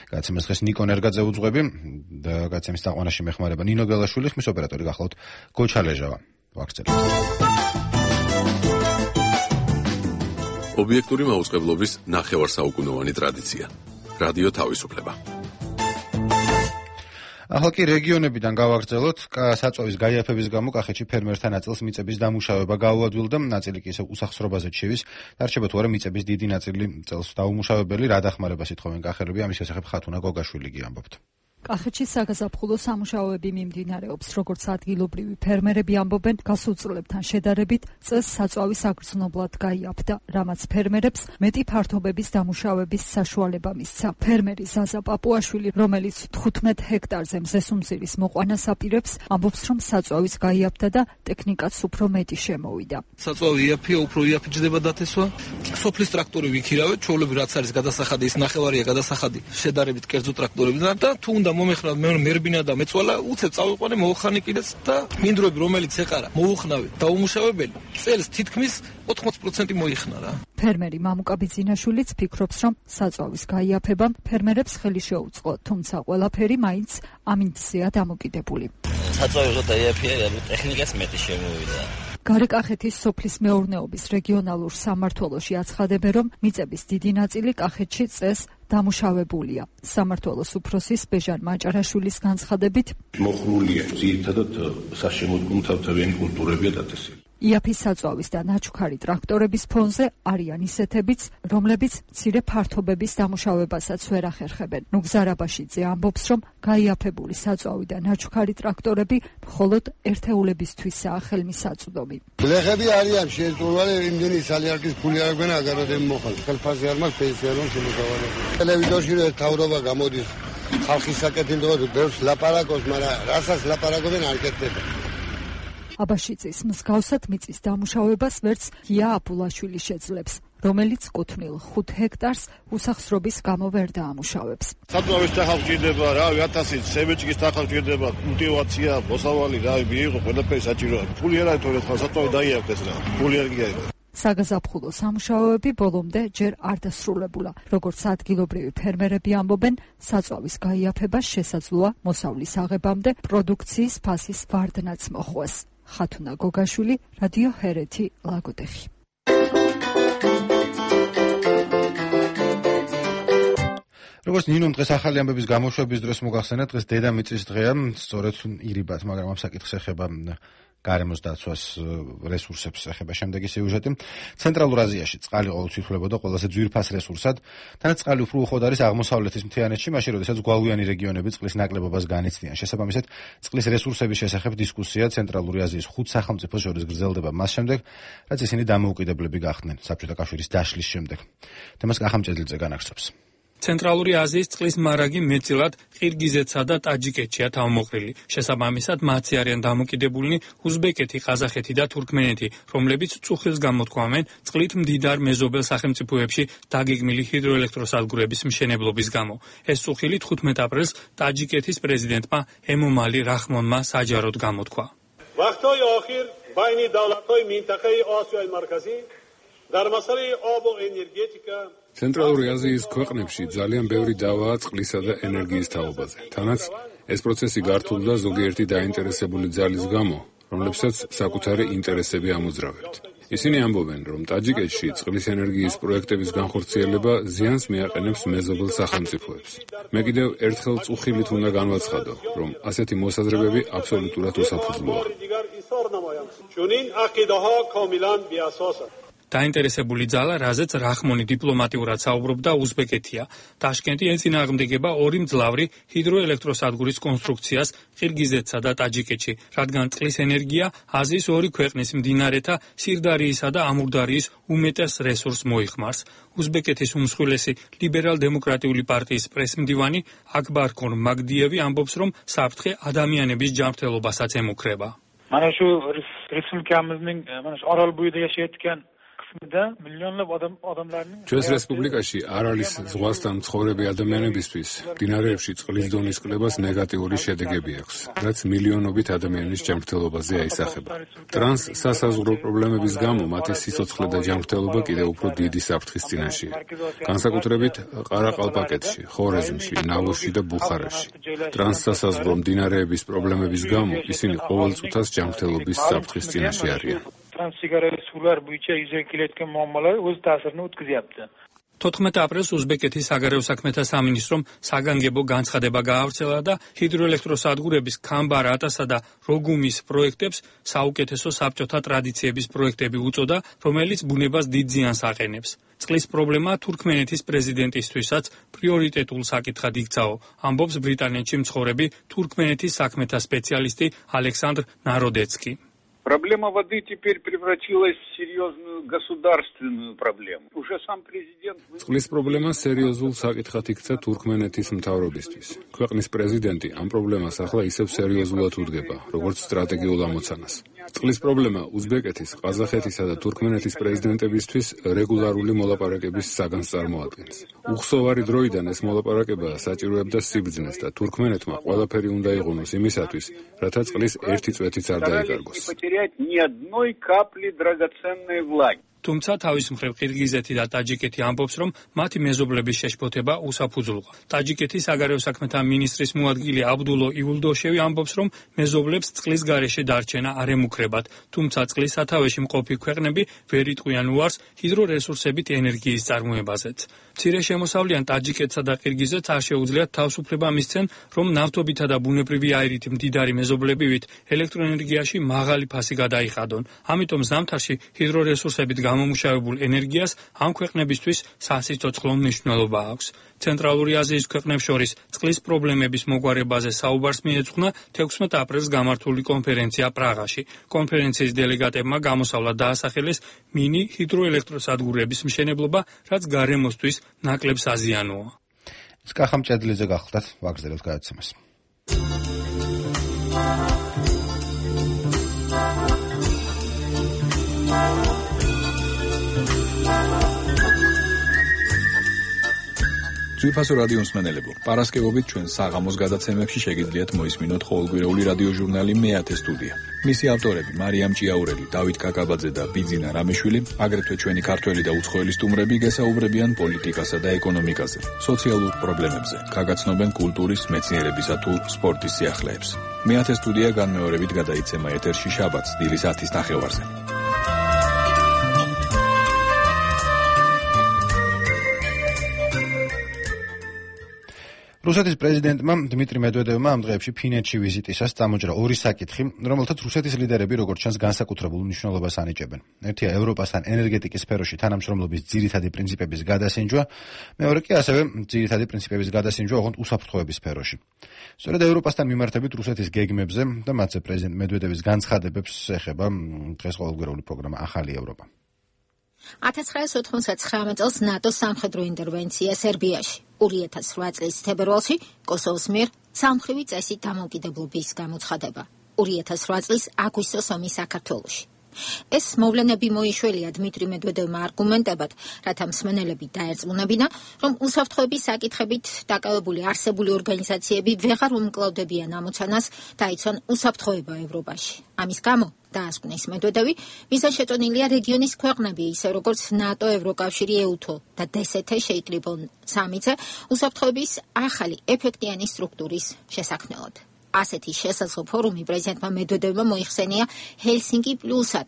გადაცემას დღეს ნიკო ნერგაძე უძღვები და გადაცემის დაყვანაში მეხმარება ნინო გელაშვილი, ხმის ოპერატორი გახლავთ გოჩა ლეჟავა. ვაქცევთ.
ობიექტური მაუწყებლობის ნახევარსაუკუნოვანი ტრადიცია. რადიო თავისუფლება.
ახლა კი რეგიონებიდან გავაგრძელოთ, საწვავის გაიაფების გამო კახეთში ფერმერთა ნაწილს მიწების დამუშავება გაუადვილდა, ნაწილი კი ისევ უსახსრობაზე ჩევის. დარჩება თუ არა მიწების დიდი ნაწილი წელს დაუმუშავებელი, რა დახმარებას ითხოვენ კახელები, ამის შესახებ ხათუნა გოგაშვილი გიამბობთ.
კახეთში საგაზაფხულო სამუშაოები მიმდინარეობს, როგორც ადგილობრივი ფერმერები ამბობენ, გასულ წლებთან შედარებით წელს საწვავის აგრძნობლად გაიაფდა, რამაც ფერმერებს მეტი ფართობების დამუშავების საშუალება მისცა. ფერმერი ზაზა პაპუაშვილი, რომელიც თხუთმეტ ჰექტარზე მზესუმზირის მოყვანას აპირებს, ამბობს, რომ საწვავის გაიაფდა და ტექნიკაც უფრო მეტი შემოვიდა.
საწვავი იაფია, უფრო იაფიჯდება დათესვა. სოფლის ტრაქტორი ვიქირავეთ, ჩვეულებრივ რაც არის გადასახადი, ის ნახევარია გადასახადი, შედარებით კერძო ტრაქტორებიდან და თუ უნდა მომეხნავ მე მერბინა და მეწვალა უცებ წავიყვანე მოუხანი კიდეც და მინდვრები რომელიც ეყარა მოუხნავე დაუმუშავებელი წელს თითქმის ოთხმოცი პროცენტი მოიხნა რა.
ფერმერი მამუკა ბიძინაშვილიც ფიქრობს, რომ საწვავის გაიაფებამ ფერმერებს ხელი შეუწყო, თუმცა ყველაფერი მაინც ამინდზეა დამოკიდებული.
საწვავი რო დაიაფია, ტექნიკაც მეტი შემოვიდა.
გარეკახეთის სოფლის მეურნეობის რეგიონალურ სამმართველოში აცხადებენ, რომ მიწების დიდი ნაწილი კახეთში წეს დამუშავებულია. სამმართველოს უფროსის ბეჟან მაჭარაშვილის განცხადებით,
მოხმულია ძირითადად საშემოდგომთავთავიანი კულტურებია დაწესილი.
იაფის საწვავის და ნაჩუქარი ტრაქტორების ფონზე არიან ისეთებიც, რომლებიც მცირე ფართობების დამუშავებასაც ვერ ახერხებენ. ნუგზარაბაშიძე ამბობს, რომ გაიაფებული საწვავი და ნაჩუქარი ტრაქტორები მხოლოდ ერთეულებისთვისაა ხელმისაწვდომი.
ბლეხები არიან შეეწურვალი, იმდენი სალიარკის ფული არ გვენა აგაროდენ მოხალ. ხელფასი არ მაქვს, პენსია არ მაქვს, შემოგავალები. ტელევიზორში რო თავრობა გამოდის ხალხის საკეთილდღეოდ ბევრს ლაპარაკობს, მაგრამ რასაც ლაპარაკობენ არ კეთდება.
აბაშიძის მსგავსად მიწის დამუშავებას ვერც გია აბულაშვილი შეძლებს, რომელიც კუთვნილ ხუთ ჰექტარს უსახსრობის გამო ვერ დაამუშავებს.
საწვავის თანხა გვჭირდება, რავი, ათასი სემეჭკის თანხა გვჭირდება, კულტივაცია, მოსავალი, რავი, მიიღო, ყველაფერი საჭიროა. ფული არ არის თორე ხა საწვავი დაიაფეს რა. ფული არ გიაიღო.
საგაზაფხულო სამუშაოები ბოლომდე ჯერ არ დასრულებულა. როგორც ადგილობრივი ფერმერები ამბობენ, საწვავის გაიაფებას შესაძლოა მოსავლის აღებამდე პროდუქციის ფასის ვარდნაც მოხვეს. ხათუნა გოგაშვილი, რადიო ჰერეთი, ლაგოდეხი.
როგორც ნინომ დღეს ახალი ამბების გამოშვების დროს მოგახსენეთ, დღეს დედამიწის დღეა, სწორედ ირიბად, მაგრამ ამ საკითხს ეხება გარემოს დაცვას რესურსებს ეხება შემდეგი სიუჟეტი. ცენტრალურ აზიაში წყალი ყოველთვის ითვლებოდა ყველაზე ძვირფას რესურსად, თანაც წყალი უფრო უხვად არის აღმოსავლეთის მთიანეთში, მაშინ როდესაც გვალვიანი რეგიონები წყლის ნაკლებობას განიცდიან. შესაბამისად, წყლის რესურსების შესახებ დისკუსია ცენტრალური აზიის ხუთ სახელმწიფოს შორის გრძელდება მას შემდეგ, რაც ისინი დამოუკიდებლები გახდნენ საბჭოთა კავშირის დაშლის შემდეგ. თემას კახამჭედლიძე განაგრძობს.
ცენტრალური აზიის წყლის მარაგი მეტწილად ყირგიზეთსა და ტაჯიკეთშია თავმოყრილი. შესაბამისად, მათი არიან დამოკიდებულნი უზბეკეთი, ყაზახეთი და თურქმენეთი, რომლებიც წუხილს გამოთქვამენ წყლით მდიდარ მეზობელ სახელმწიფოებში დაგეგმილი ჰიდროელექტროსადგურების მშენებლობის გამო. ეს წუხილი თხუთმეტ აპრილს ტაჯიკეთის პრეზიდენტმა ემომალი რაჰმონმა საჯაროდ გამოთქვა.
وقت‌های آخر بین دولت‌های منطقه آسیای مرکزی در مسئله آب و انرژتیکا
ცენტრალური აზიის ქვეყნებში ძალიან ბევრი დავაა წყლისა და ენერგიის თაობაზე. თანაც ეს პროცესი გართულდა ზოგიერთი დაინტერესებული ძალის გამო, რომლებსაც საკუთარი ინტერესები ამოძრავებთ. ისინი ამბობენ, რომ ტაჯიკეთში წყლის ენერგიის პროექტების განხორციელება ზიანს მიაყენებს მეზობელ სახელმწიფოებს. მე კიდევ ერთხელ წუხილით უნდა განვაცხადო, რომ ასეთი მოსაზრებები აბსოლუტურად უსაფუძვლოა.
დაინტერესებული ძალა, რაზეც რახმონი დიპლომატიურად საუბრობდა, უზბეკეთია. ტაშკენტი ეწინააღმდეგება ორი მძლავრი ჰიდროელექტროსადგურის კონსტრუქციას ყირგიზეთსა და ტაჯიკეთში, რადგან წყლის ენერგია აზიის ორი ქვეყნის მდინარეთა სირდარიისა და ამურდარიის უმეტეს რესურსს მოიხმარს. უზბეკეთის უმსხვილესი ლიბერალ-დემოკრატიული პარტიის პრესმდივანი აკბარქონ მაგდიევი ამბობს, რომ საფრთხე ადამიანების ჯანმრთელობასაც ემუქრება.
Mana shu respublikamizning mana shu Orolbo'yida yashayotgan qismida millionlab odam odamlarning
ჩვენს რესპუბლიკაში არალის ზღვასთან მცხოვრები ადამიანებისთვის მდინარეებში წყლის დონის კლებას ნეგატიური შედეგები აქვს, რაც მილიონობით ადამიანის ჯანმრთელობაზე აისახება. ტრანს სასაზღვრო პრობლემების გამო მათი სიცოცხლე და ჯანმრთელობა კიდევ უფრო დიდი საფრთხის წინაშეა. განსაკუთრებით ყარაყალპაკეთში, ხორეზმში, ნავოში და ბუხარაში. ტრანს სასაზღვრო მდინარეების პრობლემების გამო ისინი ყოველ წუთას ჯანმრთელობის საფრთხის წინაშე არიან.
Transsigaret sular bo'yicha yuzaga kelayotgan muammolar o'z ta'sirini o'tkazyapti.
თოთხმეტ აპრილს უზბეკეთის საგარეო საქმეთა სამინისტრომ საგანგებო განცხადება გაავრცელა და ჰიდროელექტროსადგურების ქამბარ-ატასა და როგუმის პროექტებს საუკეთესო საბჭოთა ტრადიციების პროექტები უწოდა, რომელიც ბუნებას დიდ ზიანს აყენებს. წყლის პრობლემა თურქმენეთის პრეზიდენტისთვისაც პრიორიტეტულ საკითხად იქცაო, ამბობს ბრიტანეთში მცხოვრები თურქმენეთის საქმეთა სპეციალისტი ალექსანდრ ნაროდეცკი.
Проблема воды теперь превратилась в серьезную государственную проблему. Уже сам президент...
წყლის პრობლემა სერიოზულ საკითხად იქცა თურქმენეთის მთავრობისთვის. ქვეყნის პრეზიდენტი ამ პრობლემას ახლა ისევ სერიოზულად უდგება, როგორც სტრატეგიულ ამოცანას. წყლის პრობლემა უზბეკეთის, ყაზახეთისა და თურქმენეთის პრეზიდენტებისთვის რეგულარული მოლაპარაკების საგანს წარმოადგენს. უხსოვარი დროიდან ეს მოლაპარაკება საჭიროებდა სიბრძნეს და თურქმენეთმა ყველაფერი უნდა იყონოს იმისათვის, რათა წყლის ერთი წვეთიც არ დაიკარგოს.
Ни одной капли драгоценной влаги.
თუმცა თავის მხრივ ყირგიზეთი და ტაჯიკეთი ამბობს, რომ მათი მეზობლების შეშფოთება უსაფუძვლოა. ტაჯიკეთის საგარეო საქმეთა მინისტრის მოადგილე აბდულო იულდოშევი ამბობს, რომ მეზობლებს წყლის გარეშე დარჩენა არ ემუქრებათ, თუმცა წყლის სათავეში მყოფი ქვეყნები ვერ იტყვიან უარს ჰიდრორესურსებით ენერგიის წარმოებაზეც. მცირე შემოსავლიან ტაჯიკეთსა და ყირგიზეთს არ შეუძლიათ თავისუფლება მისცენ, რომ ნავთობითა და ბუნებრივი აირით მდიდარი მეზობლებივით ელექტროენერგიაში მაღალი ფასი გადაიხადონ. ამიტომ ზამთარში ჰიდრორესურსებით გამომუშავებულ ენერგიას ამ ქვეყნებისთვის სასიცოცხლო მნიშვნელობა აქვს. ცენტრალური აზიის ქვეყნებს შორის წყლის პრობლემების მოგვარებაზე საუბარს მიეძღვნა თექვსმეტ აპრილს გამართული კონფერენცია პრაღაში. კონფერენციის დელეგატებმა გამოსავლა დაასახელეს მინი ჰიდროელექტროსადგურების მშენებლობა, რაც გარემოსთვის ნაკლებ საზიანოა.
სკახამ ჭედლიძე გახლდათ, ვაგრძელებთ გადაცემას.
ძვირფასო რადიო მსმენელებო, პარასკევობით ჩვენ საღამოს გადაცემებში შეგიძლიათ მოისმინოთ ყოველკვირეული რადიო ჟურნალი მეათე სტუდია. მისი ავტორები მარიამ ჭიაურელი, დავით კაკაბაძე და ბიძინა რამიშვილი, აგრეთვე ჩვენი ქართველი და უცხოელი სტუმრები გესაუბრებიან პოლიტიკასა და ეკონომიკაზე, სოციალურ პრობლემებზე, გაგაცნობენ კულტურის, მეცნიერებისა თუ სპორტის სიახლეებს. მეათე სტუდია განმეორებით გადაიცემა ეთერში შაბათს დილის ათის ნახევარზე.
რუსეთის პრეზიდენტმა დმიტრი მედვედევმა ამ დღეებში ფინეთში ვიზიტისას წამოჭრა ორი საკითხი, რომელთაც რუსეთის ლიდერები როგორც ჩანს განსაკუთრებულ მნიშვნელობას ანიჭებენ. ერთია ევროპასთან ენერგეტიკის სფეროში თანამშრომლობის ძირითადი პრინციპების გადასინჯვა, მეორე კი ასევე ძირითადი პრინციპების გადასინჯვა ოღონდ უსაფრთხოების სფეროში. სწორედ ევროპასთან მიმართებით რუსეთის გეგმებზე და მათზე პრეზიდენტ მედვედევის განცხადებებს ეხება დღეს ყოველკვირეული პროგრამა ახალი ევროპა.
ათას ცხრაასი ოთხმოცდათცხრამეტ წელს ნატოს სამხედრო ინტერვენცია სერბიაში. ორი ათას რვა წლის თებერვალში კოსოვოს მიერ სამხრივი წესით დამოუკიდებლობის გამოცხადება. ორი ათას რვა წლის აგვისტოს ომი საქართველოში. ეს მოვლენები მოიშველია დმიტრი მედვედევმა არგუმენტებად, რათა მსმენელები დაერწმუნებინა, რომ უსაფრთხოების საკითხებით დაკავებული არსებული ორგანიზაციები ვეღარ უმკლავდებიან ამოცანას დაიცვან უსაფრთხოება ევროპაში. ამის გამო დაასკვნის მედვედევი, ვიზა შეწონილია რეგიონის ქვეყნები, ისე როგორც ნატო, ევროკავშირი, ეუთო და დსთ შეიკრიბონ სამიცე უსაფრთხოების ახალი ეფექტიანი სტრუქტურის შესაქმნელად. ასეთი შესაძლო ფორუმი პრეზიდენტმა მედვედევმა მოიხსენია ჰელსინკი პლუსად,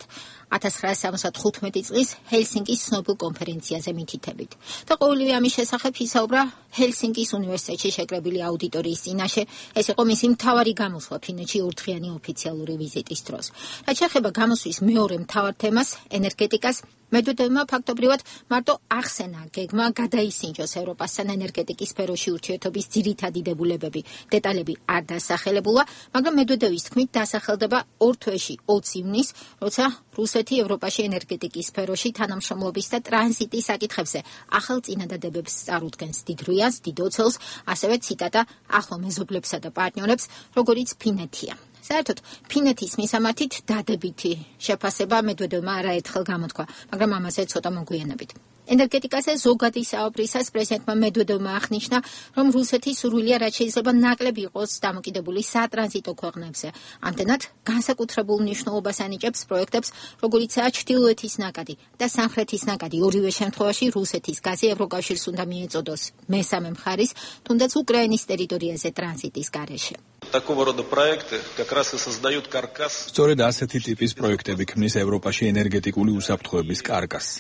ათას ცხრაასი სამოცდათხუთმეტი წლის ჰელსინკის ცნობილ კონფერენციაზე მითითებით. და ყოველივე ამის შესახებ ისაუბრა ჰელსინკის უნივერსიტეტში შეკრებილი აუდიტორიის წინაშე. ეს იყო მისი მთავარი გამოსვლა ფინეთში ორდღიანი ოფიციალური ვიზიტის დროს. რაც შეეხება გამოსვლის მეორე მთავარ თემას, ენერგეტიკას, მედვედევმა ფაქტობრივად მარტო ახსენა გეგმა გადაისინჯოს ევროპასთან ენერგეტიკის სფეროში ურთიერთობის ძირითადი დებულებები. დეტალები არ დასახელებულა, მაგრამ მედვედევის თქმით დასახელდება ორ თვეში ოცი ივნისს, როცა რუსეთი ევროპაში ენერგეტიკის სფეროში თანამშრომლობის და ტრანზიტის საკითხებზე ახალ წინადადებებს წარუდგენს დიდ რუიანს, დიდ ოცელს, ასევე ციტატა ახლო მეზობლებსა და პარტნიორებს, როგორიც ფინეთია. საერთოდ ფინეთის მისამართით დადებითი შეფასება მედვედევმა არაერთხელ გამოთქვა, მაგრამ ამაზე ცოტა მოგვიანებით. ენერგეტიკაზე ზოგადი საუბრისას პრეზიდენტმა მედვედევმა აღნიშნა, რომ რუსეთი სურვილია რაც შეიძლება ნაკლები იყოს დამოკიდებული სატრანზიტო ქვეყნებზე. ამდენად განსაკუთრებულ მნიშვნელობას ანიჭებს პროექტებს, როგორიცაა ჩრდილოეთის ნაკადი და სამხრეთის ნაკადი. ორივე შემთხვევაში რუსეთის გაზი ევროკავშირს უნდა მიეწოდოს მესამე მხარის, თუნდაც უკრაინის ტერიტორიაზე ტრანზიტის გარეშე.
Такого рода проекты как раз и создают каркас.
სწორედ ასეთი ტიპის პროექტები ქმნის ევროპაში ენერგეტიკული უსაფრთხოების კარკასს.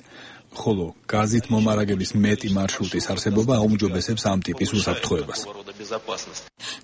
ხოლო გაზით მომარაგების მეტი მარშრუტის არსებობა აუმჯობესებს ამ ტიპის უსაფრთხოებას.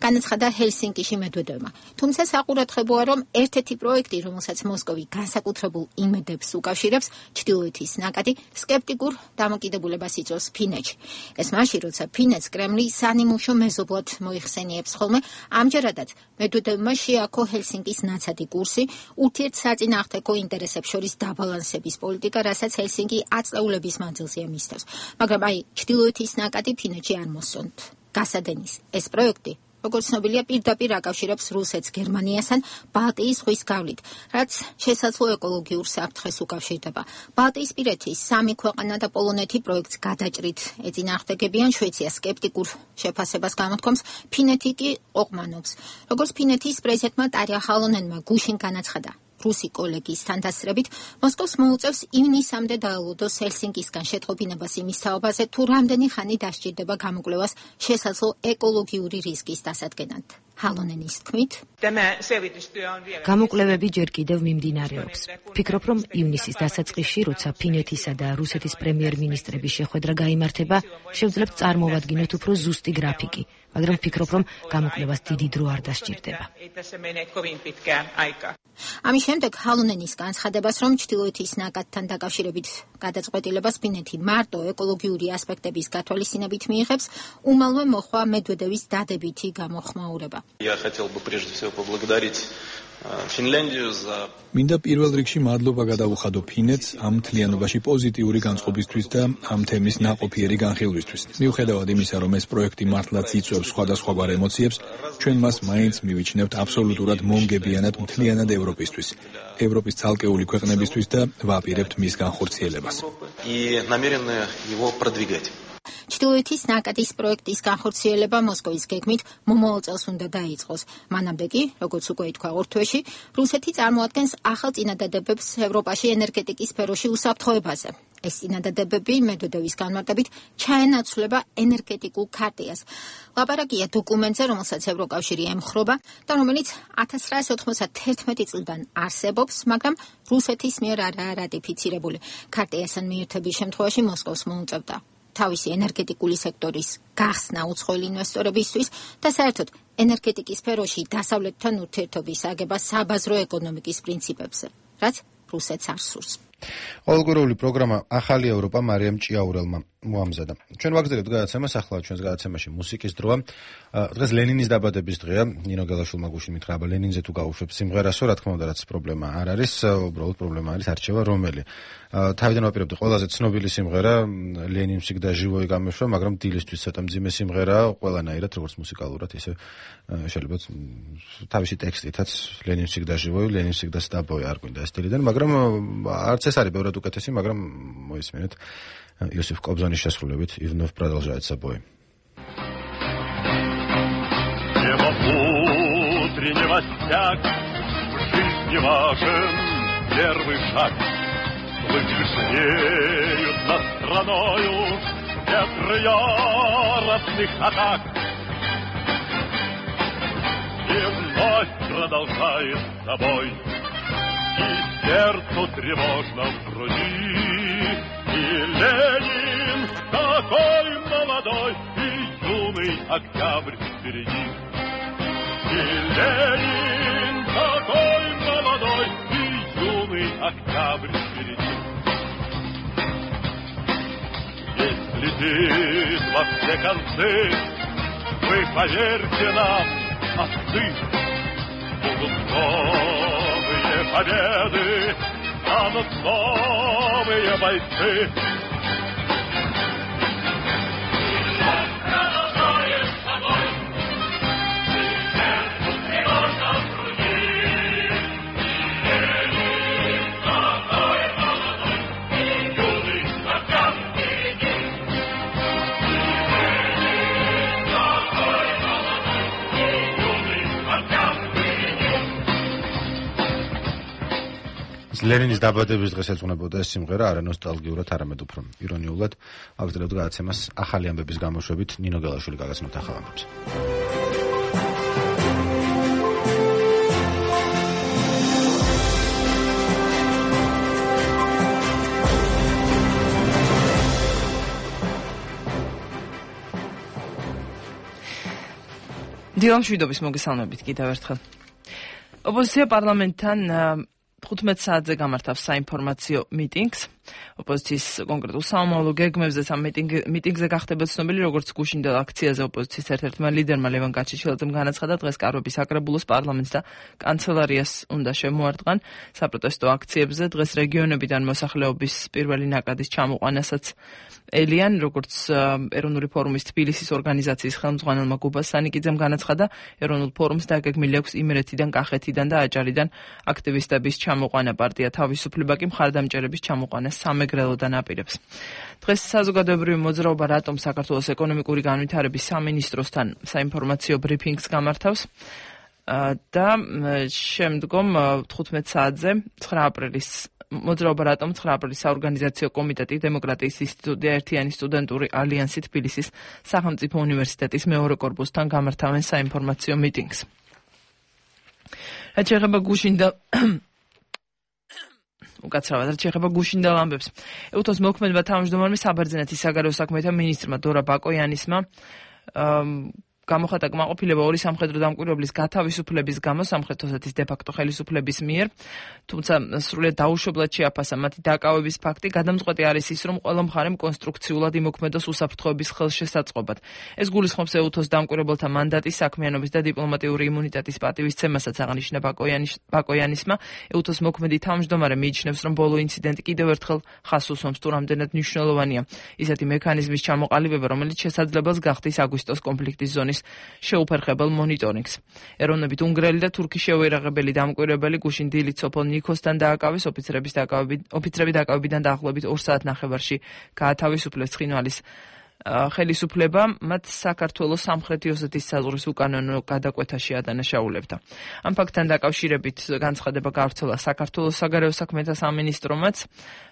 განაცხადა ჰელსინკიში მედვედევმა. თუმცა საყურადღებოა, რომ ერთ-ერთი პროექტი, რომელსაც მოსკოვი განსაკუთრებულ იმედებს უკავშირებს, ჩრდილოეთის ნაკადი, სკეპტიკურ დამოკიდებულებას იწვევს ფინეთში. ეს მაშინ, როცა ფინეთს კრემლი სანიმუშო მეზობლად მოიხსენიებს ხოლმე, ამჯერადაც მედვედევმა შეაქო ჰელსინკის ნაცადი კურსი, ურთიერთსაწინააღმდეგო ინტერესებს შორის დაბალანსების პოლიტიკა, რასაც ჰელსინკი აწლეულების მანძილზეა მისდევს. მაგრამ აი, ჩრდილოეთის ნაკადი ფინეთში არ მოსწონთ. გასადენის ეს პროექტი, როგორც ცნობილია, პირდაპირ აკავშირებს რუსეთს გერმანიასთან ბალტიის ზღვის გავლით, რაც შესაძლო ეკოლოგიურ საფრთხეს უკავშირდება. ბალტიისპირეთის სამი ქვეყანა და პოლონეთი პროექტს გადაჭრით ეწინააღმდეგებიან, შვეიცია სკეპტიკურ შეფასებას გამოთქვამს, ფინეთი კი ყოყმანობს. როგორც ფინეთის პრეზიდენტმა ტარია ჰალონენმა გუშინ განაცხადა, რუსი კოლეგის თანდასწრებით მოსკოვს მოუწევს ივნისამდე დაელოდოს ჰელსინკისგან შეტყობინებას იმის თაობაზე, თუ რამდენი ხანი დასჭირდება გამოკვლევას შესაძლო ეკოლოგიური რისკის დასადგენად. ჰალონენის თქმით,
გამოკვლევები ჯერ კიდევ მიმდინარეობს. ვფიქრობ, რომ ივნისის დასაწყისში, როცა ფინეთისა და რუსეთის პრემიერ-მინისტრების შეხვედრა გაიმართება, შევძლებთ წარმოვადგინოთ უფრო ზუსტი გრაფიკი, მაგრამ ვფიქრობ, რომ გამოკვლევას დიდი დრო არ დასჭირდება.
ამის შემდეგ ჰალონენის განცხადებას, რომ ჩრდილოეთის ნაკადთან დაკავშირებით გადაწყვეტილებას ფინეთი მარტო ეკოლოგიური ასპექტების გათვალისწინებით მიიღებს, უმალვე მოხვა მედვედევის დადებითი გამოხმაურება.
Я хотел бы прежде всего поблагодарить Финляндию за
მინდა პირველ რიგში მადლობა გადავუხადო ფინეთს ამ მთლიანობაში პოზიტიური განწყობისთვის და ამ თემის ნაყოფიერი განხილვისთვის. მიუხედავად იმისა, რომ ეს პროექტი მართლაც იწვევს სხვადასხვაგვარ ემოციებს, ჩვენ მას მაინც მივიჩნევთ აბსოლუტურად მომგებიანად მთლიანად ევროპისთვის, ევროპის ცალკეული ქვეყნებისთვის და ვაპირებთ მის განხორციელებას.
и намерены его продвигать.
ჩრდილოეთის ნაკადის პროექტის განხორციელება მოსკოვის გეგმით მომავალ წელს უნდა დაიწყოს. მანამდე კი, როგორც უკვე ითქვა ორ თვეში, რუსეთი წარმოადგენს ახალ წინადადებებს ევროპაში ენერგეტიკის სფეროში უსაფრთხოებაზე. ეს წინადადებები მედვედევის განმარტებით ჩაენაცვლება ენერგეტიკულ ქარტიას. ლაპარაკია დოკუმენტზე, რომელსაც ევროკავშირი ემხრობა და რომელიც ათას ცხრაასი ოთხმოცდაათი წლიდან არსებობს, მაგრამ რუსეთის მიერ არაა რატიფიცირებული. ქარტიასთან მიერთების შემთხვევაში მოსკოვს მოუწევდა თავისი ენერგეტიკული სექტორის გახსნა უცხოელი ინვესტორებისთვის და საერთოდ ენერგეტიკის სფეროში დასავლეთთან ურთიერთობის აგება საბაზრო ეკონომიკის პრინციპებზე, რაც რუსეთს არ სურს.
ყოველკვირეული პროგრამა ახალი ევროპა მარიამ ჭიაურელმა მოამზადა. ჩვენ ვაგრძელებთ გადაცემას, ახლა ჩვენს გადაცემაში მუსიკის დროა. დღეს ლენინის დაბადების დღეა. ნინო გელაშვილმა გუშინ მითხრა, აბა ლენინზე თუ გავუშვებ სიმღერასო, რა თქმა უნდა, რაც პრობლემა არ არის, უბრალოდ პრობლემა არის არჩევა რომელი. თავიდან ვაპირებდი ყველაზე ცნობილი სიმღერა ლენინ всегда живой გამეშვა, მაგრამ დილისთვის ცოტა მძიმე სიმღერაა, ყველანაირად, როგორც მუსიკალურად, ისე შეიძლება თავისი ტექსტითაც ლენინ всегда живой, ლენინ всегда с тобой არ გვინდა ეს დილიდან, მაგრამ არც ეს არის ბევრად უკეთესი, მაგრამ მოისმინეთ Иосиф Кобзоnis შესრულებით и вновь продолжает собой.
Тема утреннего стяг, в жизни важен первый шаг. Лучи смеют над страною ветры яростных атак. И вновь продолжает собой и сердцу тревожно в груди. И Ленин такой молодой, и юный октябрь впереди. И Ленин такой молодой, и юный октябрь впереди. Ведь летит во все концы, вы поверьте нам, отцы, будут новые победы, станут новые бойцы.
ლენინის დაბადების დღეს ეძღვნებოდა ეს სიმღერა არა ნოსტალგიურად, არამედ უფრო ირონიულად. ავწელებთ გადაცემას ახალი ამბების გამოშვებით ნინო გელაშვილი გაგაცნობთ ახალ ამბებს.
დილამშვიდობის მოგესალმებით კიდევ ერთხელ. ოპოზიცია პარლამენტთან თხუთმეტ საათზე გამართავს საინფორმაციო მიტინგს. ოპოზიციის კონკრეტულ სამომავლო გეგმებზეც ამ მიტინგზე გახდება ცნობილი, როგორც გუშინდელ აქციაზე ოპოზიციის ერთ-ერთმა ლიდერმა ლევან გაჩეჩილაძემ განაცხადა, დღეს კარვების საკრებულოს პარლამენტს და კანცელარიას უნდა შემოარტყან. საპროტესტო აქციებზე დღეს რეგიონებიდან მოსახლეობის პირველი ნაკადის ჩამოყვანასაც ელიან, როგორც ეროვნული ფორუმის თბილისის ორგანიზაციის ხელმძღვანელმა გუბას სანიკიძემ განაცხადა, ეროვნულ ფორუმს დაგეგმილი აქვს იმერეთიდან, კახეთიდან და აჭარიდან აქტივისტების ჩამოყვანა. პარტია თავისუფლება კი მხარდამჭერების ჩამოყვანას სამეგრელოდან აპირებს. დღეს საზოგადოებრივი მოძრაობა რატომ საქართველოს ეკონომიკური განვითარების სამინისტროსთან საინფორმაციო ბრიფინგს გამართავს და შემდგომ თხუთმეტ საათზე ცხრა აპრილის მოძრაობა რატომ ცხრა აპრილის საორგანიზაციო კომიტეტი დემოკრატიის ინსტიტუტი და ერთიანი სტუდენტური ალიანსი თბილისის სახელმწიფო უნივერსიტეტის მეორე კორპუსთან გამართავენ საინფორმაციო მიტინგს. რაც შეეხება გუშინდელ უკაცრავად, რაც შეეხება გუშინდელ ამბებს. ეუთოს მოქმედება თავმჯდომარემ საბერძნეთის საგარეო საქმეთა მინისტრმა დორა ბაკოიანისმა გამოხატა კმაყოფილება ორი სამხედრო დამკვირვებლის გათავისუფლების გამო სამხრეთ ოსეთის დე-ფაქტო ხელისუფლების მიერ, თუმცა სრულიად დაუშვებლად შეაფასა მათი დაკავების ფაქტი. გადამწყვეტი არის ის, რომ ყველა მხარემ კონსტრუქციულად იმოქმედოს უსაფრთხოების ხელშესაწყობად. ეს გულისხმობს ეუთოს დამკვირვებელთა მანდატის, საქმიანობის და დიპლომატიური იმუნიტეტის პატივისცემასაც აღნიშნა ბაკოიანისმა. ეუთოს მოქმედი თავმჯდომარე მიიჩნევს, რომ ბოლო ინციდენტი კიდევ ერთხელ ხაზს უსვამს თუ რამდენად მნიშვნელოვანია ისეთი მექანიზმის ჩამოყალიბება, რომელიც შესაძლებელს გახდის აგვისტოს კონფლიქტის ზონის შეუფერხებელ მონიტორინგს. ეროვნებით უნგრელი და თურქი შეუერაღებელი დამკვირვებელი გუშინ დილით სოფელ ნიქოსთან დააკავეს. ოფიცრების დაკავებით ოფიცრები დაკავებიდან დაახლოებით ორ საათ ნახევარში გაათავისუფლეს ცხინვალის ხელისუფლება, მათ საქართველოს სამხრეთი ოსეთის საზღვრის უკანონო გადაკვეთაში ადანაშაულებდა. ამ ფაქტთან დაკავშირებით განცხადება გავრცელა საქართველოს საგარეო საქმეთა სამინისტრომაც.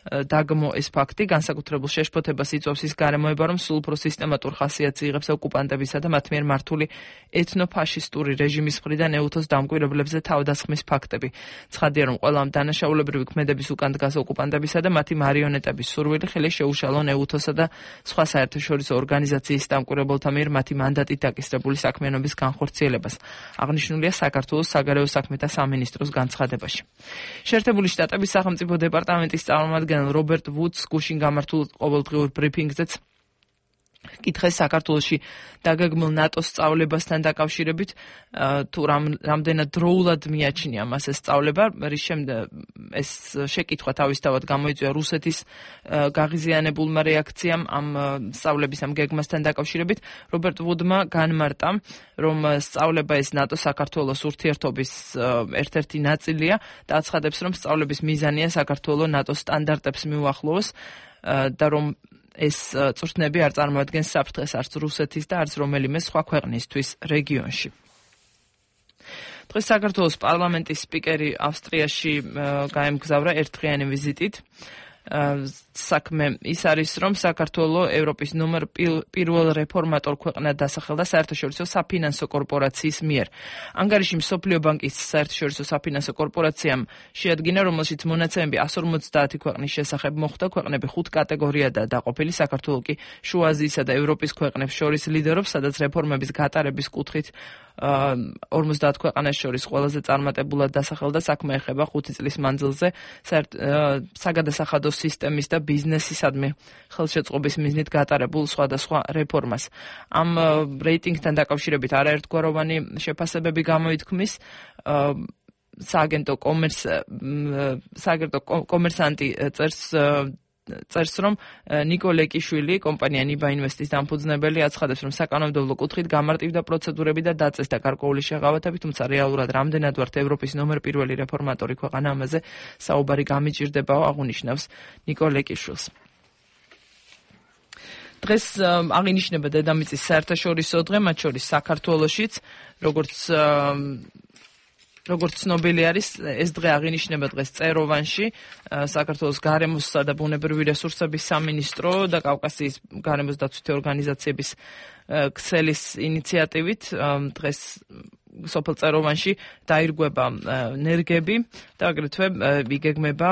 დაგმო ეს ფაქტი განსაკუთრებულ შეშფოთებას იწვევს ის გარემოება, რომ სულ უფრო სისტემატურ ხასიათს იღებს ოკუპანტებისა და მათ მიერ მართული ეთნოფაშისტური რეჟიმის მხრიდან ეუთოს დამკვირვებლებზე თავდასხმის ფაქტები. ცხადია, რომ ყველა ამ დანაშაულებრივი ქმედების უკან დგას ოკუპანტებისა და მათი მარიონეტების სურვილი ხელი შეუშალონ ეუთოსა და სხვა საერთაშორისო ორგანიზაციის დამკვირვებელთა მიერ მათი მანდატით დაკისრებული საქმიანობის განხორციელებას. აღნიშნულია საქართველოს საგარეო საქმეთა სამინისტროს განცხადებაში. შეერთებული შტატების სახელმწიფო დეპარტამენტის წარმომადგენელ რობერტ ვუდს გუშინ გამართულ ყოველდღიურ ბრიფინგზეც კითხეს საქართველოში დაგეგმილ ნატოს სწავლებასთან დაკავშირებით, თუ რამდენად დროულად მიაჩნია მას ეს სწავლება. რის შემდეგ ეს შეკითხვა თავისთავად გამოიწვია რუსეთის გაღიზიანებულმა რეაქციამ ამ სწავლების ამ გეგმასთან დაკავშირებით. რობერტ ვუდმა განმარტა, რომ სწავლება ეს ნატოს საქართველოს ურთიერთობის ერთ-ერთი ნაწილია და აცხადებს, რომ სწავლების მიზანია საქართველოს ნატოს სტანდარტებს მიუახლოვოს და რომ ეს წვრთნები არ წარმოადგენს საფრთხეს არც რუსეთის და არც რომელიმე სხვა ქვეყნისთვის რეგიონში. დღეს საქართველოს პარლამენტის სპიკერი ავსტრიაში გაემგზავრა ერთდღიანი ვიზიტით. საქმე ის არის, რომ საქართველო ევროპის ნომერ პირველ რეფორმატორ ქვეყნად დასახელდა საერთაშორისო საფინანსო კორპორაციის მიერ. ანგარიში მსოფლიო ბანკის საერთაშორისო საფინანსო კორპორაციამ შეადგინა, რომელშიც მონაცემები εκατს ორმოცდაათი ქვეყნის შესახებ მოხვდა. ქვეყნები ხუთ კატეგორიადაა დაყოფილი. საქართველო კი შუა აზიისა და ევროპის ქვეყნებს შორის ლიდერობს, სადაც რეფორმების გატარების კუთხით ორმოცდაათ ქვეყანას შორის ყველაზე წარმატებულად დასახელდა. საქმე ეხება ხუთი წლის მანძილზე საგადასახადო სისტემის და ბიზნესისადმი ხელშეწყობის მიზნით გატარებულ სხვადასხვა რეფორმას. ამ რეიტინგთან დაკავშირებით არაერთგვაროვანი შეფასებები გამოითქმის. სააგენტო კომერს სააგენტო კომერსანტი წერს წერს რომ ნიკო ლეკიშვილი, კომპანია ნიბა ინვესტის დამფუძნებელი, აცხადებს, რომ საკანონმდებლო კუთხით გამარტივდა პროცედურები და დაწესდა გარკვეული შეღავათები, თუმცა რეალურად რამდენად ვართ ევროპის ნომერ პირველი რეფორმატორი ქვეყანა, ამაზე საუბარი გამიჭირდებაო, აღნიშნავს ნიკო ლეკიშვილს. დღეს აღინიშნება დედამიწის საერთაშორისო დღე, მათ შორის საქართველოშიც, როგორც როგორც ცნობილი არის, ეს დღე აღინიშნება დღეს წეროვანში, საქართველოს გარემოსა და ბუნებრივი რესურსების სამინისტრო და კავკასიის გარემოს დაცვითი ორგანიზაციების ქსელის ინიციატივით დღეს სოფელ წეროვანში დაირგვება ნერგები და აგრეთვე იგეგმება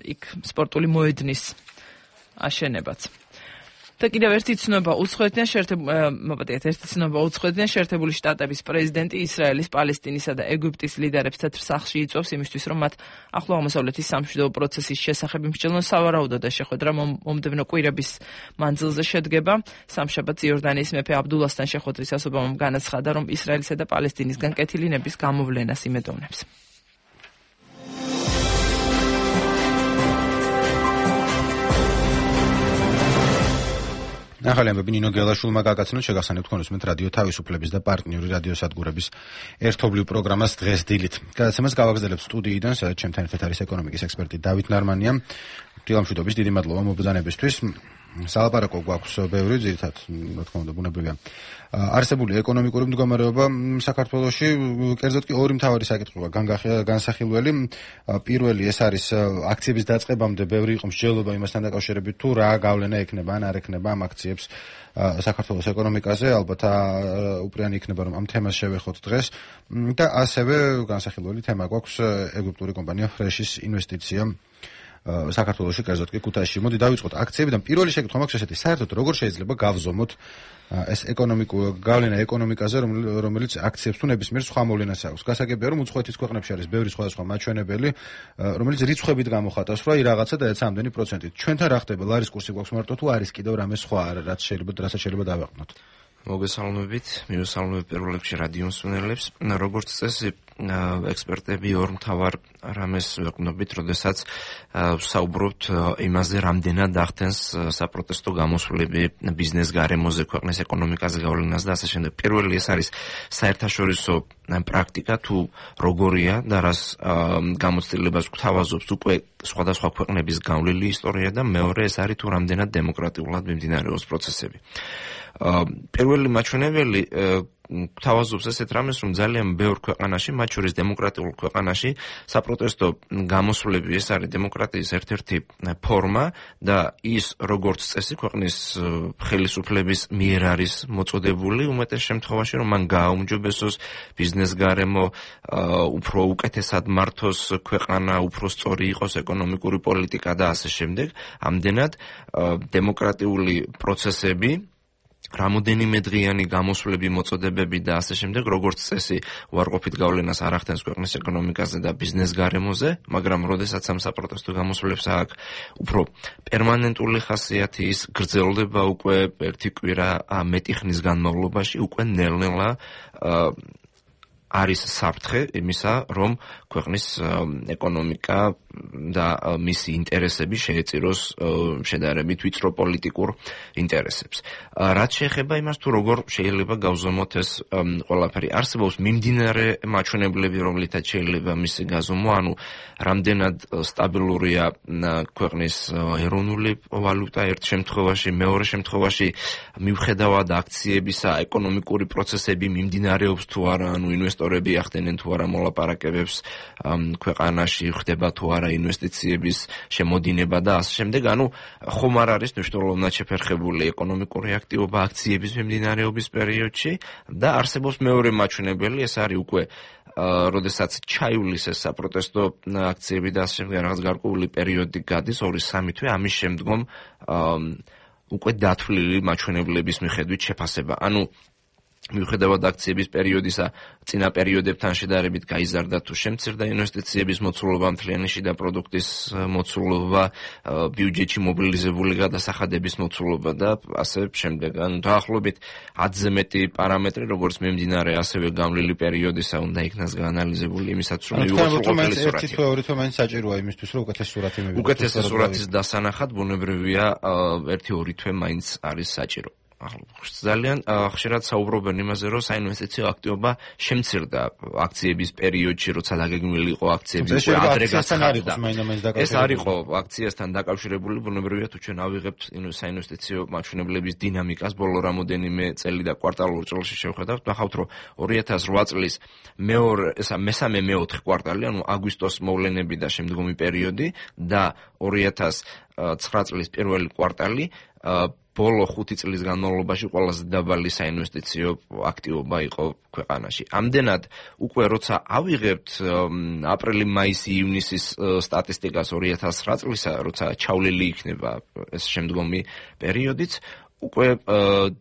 იქ სპორტული მოედნის აშენებაც. და კიდევ ერთი ცნობა უცხოეთიდან შეერთებული მოგეთ ერთი ცნობა უცხოეთიდან შეერთებული შტატების პრეზიდენტი ისრაელის, პალესტინისა და ეგვიპტის ლიდერებს თეთრ სახლში იწვევს იმისთვის, რომ მათ ახლო აღმოსავლეთის სამშვიდობო პროცესის შესახებ იმსჯელონ. სავარაუდოდ და შეხვედრა მომდევნო კვირების მანძილზე შედგება. სამშაბათს იორდანიის მეფე აბდულასთან შეხვედრის ასობამ განაცხადა, რომ ისრაელისა და პალესტინისგან კეთილინების გამოვლენას იმედოვნებს.
ახალი ამბები ნინო გელაშვილმა გაგაცნოთ. შეგახსენებთ კონსუმენტ რადიო თავისუფლების და პარტნიორი რადიო სადგურების ერთობლივ პროგრამას დღეს დილით. გადაცემას გავაგრძელებ სტუდიიდან, სადაც ჩემთან ერთად არის ეკონომიკის ექსპერტი დავით ნარმანია. დილამშვიდობის, დიდი მადლობა მობრძანებისთვის. სალაპარაკო გვაქვს ბევრი, ძირითადად, რა თქმა უნდა, ბუნებრივია. არსებული ეკონომიკური მდგომარეობა საქართველოში, კერძოდ კი ორი მთავარი საკითხია განსახილველი. პირველი ეს არის აქციების დაწყებამდე ბევრი იყო მსჯელობა იმასთან დაკავშირებით, თუ რა გავლენა ექნება ან არ ექნება ამ აქციებს საქართველოს ეკონომიკაზე. ალბათ უპირიანი იქნება, რომ ამ თემას შევეხოთ დღეს და ასევე განსახილველი თემა გვაქვს ეგვიპტური კომპანია ფრეშის ინვესტიცია საქართველოში, კერძოდ კი ქუთაისში. მოდი დავიწყოთ აქციებიდან. პირველი შეკითხვა მაქვს ესეთი: საერთოდ როგორ შეიძლება გავზომოთ ეს ეკონომიკური გავლენა ეკონომიკაზე, რომელიც აქციებს თუ ნებისმიერ სხვა მოვლენას აქვს? გასაგებია, რომ უცხოეთის ქვეყნებში არის ბევრი სხვადასხვა მაჩვენებელი, რომელიც რიცხვებით გამოხატავს, რომ აი რაღაცა დაეცა ამდენი პროცენტით. ჩვენთან რა ხდება? ლარის კურსი გვაქვს მარტო თუ არის კიდევ რამე სხვა, რაც შეიძლება რასაც შეიძლება დავაყნოთ?
მოგესალმებით, მივესალმებ პირველ რიგში რადიო მსმენელებს. როგორც წესი, ექსპერტები ორ მთავარ რამეს ვეყნობით, როდესაც საუბრობთ იმაზე, რამდენად ახდენს საპროტესტო გამოსვლები ბიზნეს გარემოზე, ქვეყნის ეკონომიკაზე გავლენას და ასე შემდეგ. პირველი ეს არის საერთაშორისო პრაქტიკა, თუ როგორია და რას გამოცდილებას გვთავაზობს უკვე სხვადასხვა ქვეყნების გავლილი ისტორია და მეორე ეს არის თუ რამდენად დემოკრატიულად მიმდინარეობს პროცესები. პირველი მაჩვენებელი გვთავაზობს ესეთ რამეს, რომ ძალიან ბევრ ქვეყანაში, მათ შორის დემოკრატიულ ქვეყანაში, საპროტესტო გამოსვლები ეს არის დემოკრატიის ერთ-ერთი ფორმა და ის როგორც წესი ქვეყნის ხელისუფლების მიერ არის მოწოდებული, უმეტეს შემთხვევაში, რომ მან გააუმჯობესოს ბიზნეს გარემო, უფრო უკეთესად მართოს ქვეყანა, უფრო სწორი იყოს ეკონომიკური პოლიტიკა და ასე შემდეგ. ამდენად დემოკრატიული პროცესები, რამოდენიმე დღიანი გამოსვლები, მოწოდებები და ასე შემდეგ, როგორც წესი, უარყოფით გავლენას არ ახდენს ქვეყნის ეკონომიკაზე და ბიზნეს გარემოზე, მაგრამ როდესაც ამ საპროტესტო გამოსვლებს აქვს უფრო პერმანენტული ხასიათი, ის გრძელდება უკვე ერთი კვირა მეტი ხნის განმავლობაში, უკვე ნელ-ნელა არის საფრთხე იმისა, რომ ქვეყნის ეკონომიკა და მისი ინტერესები შეეწიროს შედარებით ვიწრო პოლიტიკურ ინტერესებს. რაც შეეხება იმას, თუ როგორ შეიძლება გავზომოთ ეს ყველაფერი, არსებობს მიმდინარე მაჩვენებლები, რომლითაც შეიძლება მისი გაზომვა, ანუ რამდენად სტაბილურია ქვეყნის ეროვნული ვალუტა ერთ შემთხვევაში, მეორე შემთხვევაში, მიუხედავად აქციებისა, ეკონომიკური პროცესები მიმდინარეობს თუ არა, ანუ ინვესტორები ინვესტორები ახდენენ თუ არა მოლაპარაკებებს ქვეყანაში, ხდება თუ არა ინვესტიციების შემოდინება და ასე შემდეგ. ანუ ხომ არ არის მნიშვნელოვნად შეფერხებული ეკონომიკური აქტივობა აქციების მიმდინარეობის პერიოდში და არსებობს მეორე მაჩვენებელი, ეს არის უკვე როდესაც ჩაივლის ეს საპროტესტო აქციები და ასე შემდეგ რაღაც გარკვეული პერიოდი გადის, ორი სამი თვე, ამის შემდგომ უკვე დათვლილი მაჩვენებლების მიხედვით შეფასება. ანუ მიუხედავად აქციების პერიოდისა წინა პერიოდებთან შედარებით გაიზარდა თუ შემცირდა ინვესტიციების მოცულობა, მთლიანი შიდა პროდუქტის მოცულობა, ბიუჯეტში მობილიზებული გადასახადების მოცულობა და ასე შემდეგ. ანუ დაახლოებით ათზე მეტი პარამეტრი, როგორც მიმდინარე, ასევე გამლილი პერიოდისა უნდა იქნას გაანალიზებული იმისათვის, რომ მივიღოთ ყოფილი სურათი.
ერთი თვე, ორი თვე მაინც საჭიროა იმისთვის, რომ უკეთესი სურათი მივიღოთ.
უკეთესი სურათის დასანახად ბუნებრივია ერთი ორი თვე მაინც არის საჭირო. ძალიან ხშირად საუბრობენ იმაზე, რომ საინვესტიციო აქტივობა შემცირდა აქციების პერიოდში, როცა დაგეგმილი იყო აქციები უკვე ადრე გაცხადდა. ეს არ იყო აქციასთან დაკავშირებული, ბუნებრივია თუ ჩვენ ავიღებთ საინვესტიციო მაჩვენებლების დინამიკას ბოლო რამოდენიმე წელი და კვარტალურ წელში შევხედავთ, ნახავთ, რომ ორი ათას რვა წლის მეორე, ესა მესამე მეოთხე კვარტალი, ანუ აგვისტოს მოვლენები და შემდგომი პერიოდი და ორი ათას ცხრა წლის პირველი კვარტალი ბოლო ხუთი წლის განმავლობაში ყველაზე დაბალი საინვესტიციო აქტივობა იყო ქვეყანაში. ამდენად უკვე როცა ავიღებთ აპრილი-მაისი ივნისის სტატისტიკას ორი ათას ცხრა წლისა, როცა ჩავლილი იქნება ეს შემდგომი პერიოდიც, უკვე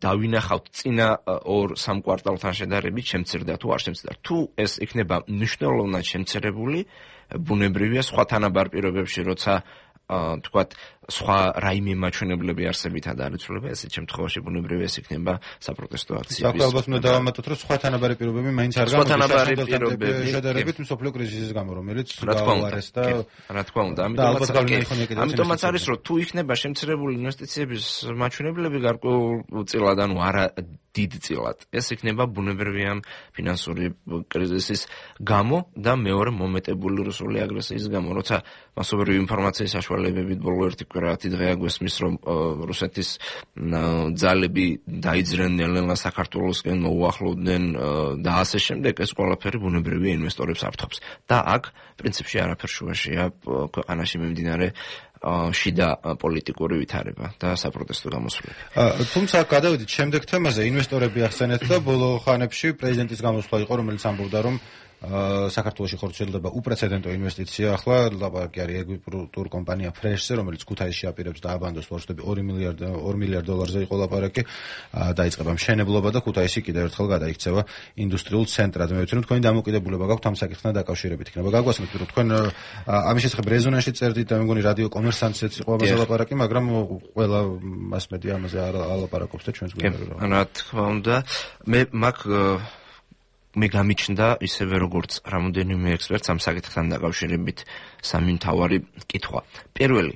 დავინახავთ წინა ორ სამ კვარტალთან შედარებით შემცირდა თუ არ შემცირდა. თუ ეს იქნება მნიშვნელოვნად შემცირებული, ბუნებრივია სხვა თანაბარ პირობებში, როცა თქვათ სხვა რაიმე მაჩვენებლები არსებითად არ იცვლება, ესეთ შემთხვევაში ბუნებრივია ეს იქნება საპროტესტო აქციების.
საქმე ალბათ უნდა დავამატოთ, რომ სხვა თანაბარი პირობები მაინც არ გამოდის შედარებით მსოფლიო კრიზისის გამო, რომელიც გაუარეს და
რა თქმა უნდა, ამიტომაც არის, რომ თუ იქნება შემცირებული ინვესტიციების მაჩვენებლები გარკვეულწილად, ანუ არა დიდწილად, ეს იქნება ბუნებრივია ფინანსური კრიზისის გამო და მეორე მომეტებული რუსული აგრესიის გამო, როცა მასობრივი ინფორმაციის საშუალებებით ბოლო ერთი კვირაათი დღე აგვესმის, რომ რუსეთის ძალები დაიძრნენ საქართველოსკენ, მოუახლოვდნენ და ასე შემდეგ, ეს ყველაფერი ბუნებრივია ინვესტორებს ართობს. და აქ პრინციპში არაფერ შუაშია ქვეყანაში მიმდინარე შიდა პოლიტიკური ვითარება და საპროტესტო გამოსვლები.
თუმცა გადავიდით შემდეგ თემაზე, ინვესტორები ახსენეთ და ბოლო ხანებში პრეზიდენტის გამოსვლა იყო, რომელიც ამბობდა, რომ საქართველოში ხორციელდება უპრეცედენტო ინვესტიცია. ახლა ლაპარაკი არის ეგვიპტურ კომპანია ფრეშზე, რომელიც ქუთაისში აპირებს დააბანდოს ვარშავები ორი მილიარდ დოლარზე იყო ლაპარაკი. დაიწყება მშენებლობა და ქუთაისი კიდევ ერთხელ გადაიქცევა ინდუსტრიულ ცენტრად. მე ვიცი, რომ თქვენი დამოკიდებულება გაქვთ ამ საკითხთან დაკავშირებით იქნება. გაგვასმით, რომ თქვენ ამის შესახებ რეზონანსში წერდით და მე მგონი რადიო კომერსანტშიც იყო ამაზე ლაპარაკი, მაგრამ ყველა მასმედია ამაზე არ ალაპარაკობს და ჩვენს გვინდა.
რა თქმა უნდა, მე მაგ მე გამიჩნდა ისევე როგორც რამოდენიმე ექსპერტს ამ საკითხთან დაკავშირებით სამი მთავარი კითხვა. პირველი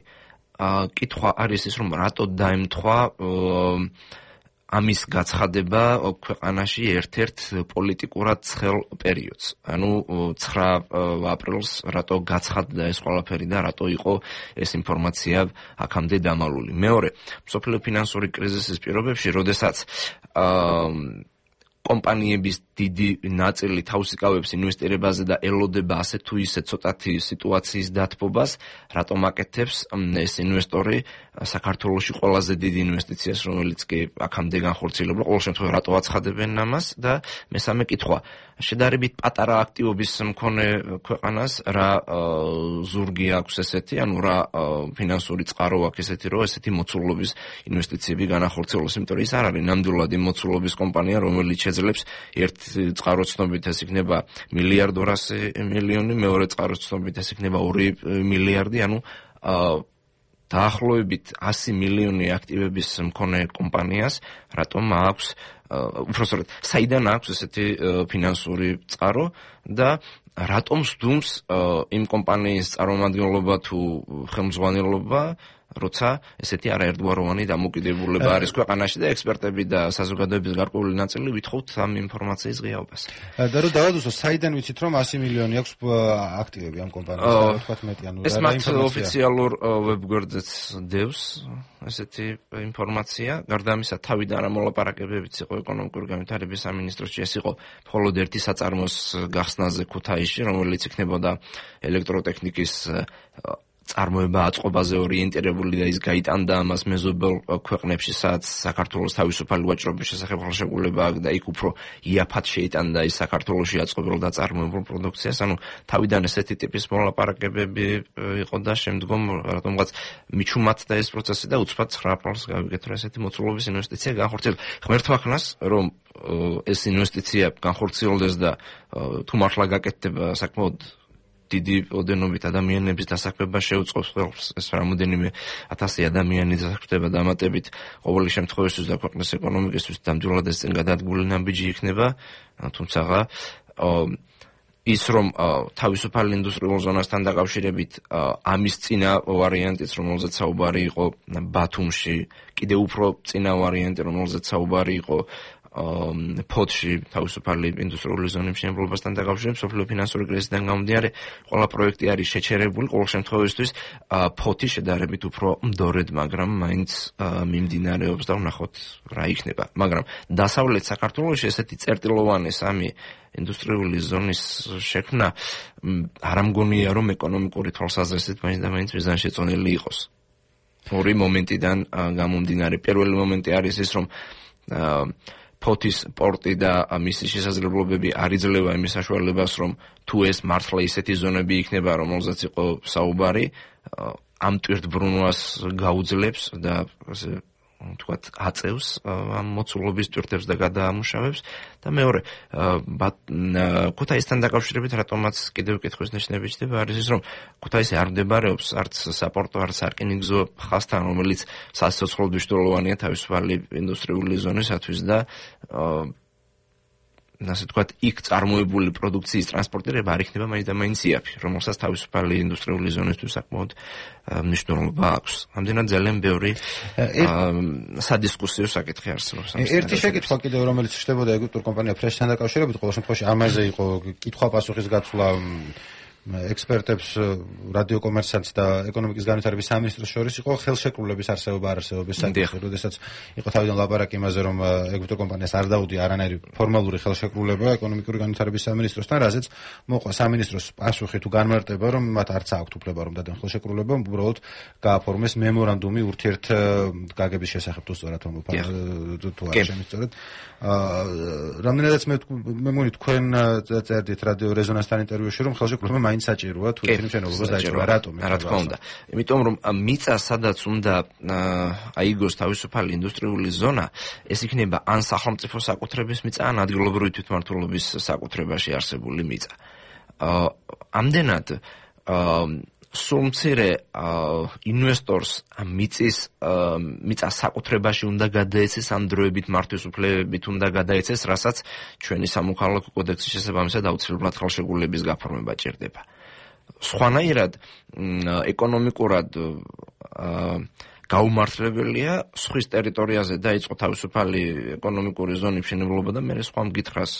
კითხვა არის ის, რომ რატო დაემთხვა ამის გაცხადება ქვეყანაში ერთ-ერთ პოლიტიკურად ცხელ პერიოდს. ანუ ცხრა აპრილს რატო გაცხადდა ეს ყველაფერი და რატო იყო ეს ინფორმაცია აქამდე დამალული. მეორე, მსოფლიო ფინანსური კრიზისის პირობებში, როდესაც კომპანიების დიდი ნაწილი თავს იკავებს ინვესტირებაზე და ელოდება ასე თუ ისე ცოტათი სიტუაციის დათბობას, რატომ აკეთებს ეს ინვესტორი საქართველოში ყველაზე დიდი ინვესტიციას, რომელიც კი აქამდე განხორციელებულა, ყოველ შემთხვევაში რატო აცხადებენ ამას და მესამე კითხვა, შედარებით პატარა აქტივობის მქონე ქვეყანას რა ზურგი აქვს ესეთი, ანუ რა ფინანსური წყარო აქვს ესეთი, რომ ესეთი მოცულობის ინვესტიციები განახორციელოს, იმიტომ რომ ის არ არის ნამდვილად იმ მოცულობის კომპანია, რომელიც შეძლებს ერთ წყაროს ცნობით ეს იქნება მილიარდ ორასი მილიონი, მეორე წყაროს ცნობით ეს იქნება ორი მილიარდი, ანუ დაახლოებით ასი მილიონი აქტივების მქონე კომპანიას რატომ აქვს უბრალოდ საიდან აქვს ესეთი ფინანსური წყარო და რატომ სდუმს იმ კომპანიის წარმომადგენლობა თუ ხელმძღვანელობა როცა ესეთი არაერთგვაროვანი დამოკიდებულება არის ქვეყანაში და ექსპერტები და საზოგადოების გარკვეული ნაწილი ვითხოვთ ამ ინფორმაციის ღიაობას.
და რო დავადუსო, საიდან ვიცით რომ ასი მილიონი აქვს აქტივები ამ კომპანიას, რა თქვა მეტი, ანუ
ეს მათ ოფიციალურ ვებგვერდზეც დევს ესეთი ინფორმაცია. გარდა ამისა, თავიდან რა მოლაპარაკებებიც იყო ეკონომიკური განვითარების სამინისტროში, ეს იყო მხოლოდ ერთი საწარმოს გახსნაზე ქუთაისში, რომელიც იქნებოდა ელექტროტექნიკის წარმოება აწყობაზე ორიენტირებული და ის გაიტანდა ამას მეზობელ ქვეყნებში, სადაც საქართველოს თავისუფალი ვაჭრობის შესახებ ხელშეკრულება აქვს და იქ უფრო იაფად შეიტანდა ის საქართველოში აწყობილ და წარმოებულ პროდუქციას. ანუ თავიდან ესეთი ტიპის მოლაპარაკებები იყო და შემდგომ რატომღაც მიჩუმათ და ეს პროცესი და უცბად ცხრა აპრილს გავიგეთ, რომ ესეთი მოცულობის ინვესტიცია განხორციელდა. ღმერთმა ხნას, რომ ეს ინვესტიცია განხორციელდეს და თუ მართლა გაკეთდება საკმაოდ დიდი ოდენობით ადამიანების დასაქმება შეუწყობს ხელს, ეს რამოდენიმე ათასი ადამიანი დასაქმდება დამატებით ყოველი შემთხვევაში და ქვეყნის ეკონომიკისთვის ნამდვილად ეს წინ გადადგმული ნაბიჯი იქნება, თუმცა ის რომ თავისუფალ ინდუსტრიულ ზონასთან დაკავშირებით ამის წინა ვარიანტიც, რომელზეც საუბარი იყო ბათუმში, კიდევ უფრო წინა ვარიანტი, რომელზეც საუბარი იყო ფოთში თავისუფალი ინდუსტრიული ზონის მშენებლობასთან დაკავშირებით სოფლიო ფინანსური კრიზისიდან გამომდინარე ყველა პროექტი არის შეჩერებული ყოველ შემთხვევაში ფოთი შედარებით უფრო მდორედ, მაგრამ მაინც მიმდინარეობს და ვნახოთ რა იქნება. მაგრამ დასავლეთ საქართველოში ესეთი წერტილოვანი სამი ინდუსტრიული ზონის შექმნა არ ამგონია რომ ეკონომიკური თვალსაზრისით მაინც და მაინც მიზანშეწონილი იყოს. ორი მომენტიდან გამომდინარე. პირველი მომენტი არის ის რომ ფოთის პორტი და მისი შესაძლებლობები არ იძლევა იმის საშუალებას, რომ თუ ეს მართლა ისეთი ზონები იქნება, რომელზეც იყო საუბარი, ამ ტვირთბრუნვას გაუძლებს და ასე თქვათ აწევს ამ მოცულობის ტვირთებს და გადაამუშავებს. და მეორე, ქუთაისთან დაკავშირებით რატომაც კიდევ კითხვის ნიშნები ჩნდება, არის ის, რომ ქუთაისი არ მდებარეობს არც საპორტო, არც სარკინიგზო ხაზთან, რომელიც სასიცოცხლოდ მნიშვნელოვანია თავისუფალი ინდუსტრიული ზონისათვის და ასე თქვათ, იქ წარმოებული პროდუქციის ტრანსპორტირება არ იქნება მაინც და მაინც იაფი, რომელსაც თავისუფალი ინდუსტრიული ზონისთვის საკმაოდ მნიშვნელობა აქვს. ამდენად ძალიან ბევრი სადისკუსიო საკითხი არსებობს.
ერთი შეკითხვა კიდევ, რომელიც ხდებოდა ეგვიპტურ კომპანია ფრეშთან დაკავშირებით, ყოველ შემთხვევაში ამაზე იყო კითხვა-პასუხის გაცვლა ექსპერტებს, რადიოკომერცანტს და ეკონომიკის განვითარების სამინისტროს შორის იყო ხელშეკრულების არსებობა არსებობის საკითხი, როდესაც იყო თავიდან ლაპარაკი იმაზე, რომ ეგვიპტურ კომპანიას არ დაუდია არანაირი ფორმალური ხელშეკრულება ეკონომიკური განვითარების სამინისტროსთან, რაზეც მოყვა სამინისტროს პასუხი თუ განმარტება, რომ მათ არც აქვთ უფლება რომ დადեն ხელშეკრულება, უბრალოდ გააფორმეს მემორანდუმი ურთიერთ გაგების შესახებ, თუ სწორად რომ თუ არ შემიძლია. რამდენადაც მე მე მგონი თქვენ წერდით რადიო რეზონანსთან ინტერვიუში, რომ ხელშეკრულება მაინც საჭიროა თუ ისინი მშენებლობას დაიწყება, რატომ?
რა თქმა უნდა. იმიტომ რომ მიწა სადაც უნდა აიგოს თავისუფალი ინდუსტრიული ზონა, ეს იქნება ან სახელმწიფო საკუთრების მიწა, ან ადგილობრივი თვითმმართველობის საკუთრებაში არსებული მიწა. ამდენად სულ მცირე ინვესტორს მიწის მიწა საკუთრებაში უნდა გადაეცეს, ამ დროებით მართვის უფლებებით უნდა გადაეცეს, რასაც ჩვენი სამოქალაქო კოდექსის შესაბამისად აუცილებლად ხელშეკრულების გაფორმება ჭირდება. სხვანაირად ეკონომიკურად გაუმართლებელია სხვის ტერიტორიაზე დაიწყო თავისუფალი ეკონომიკური ზონის მშენებლობა და მე სხვა მკითხრას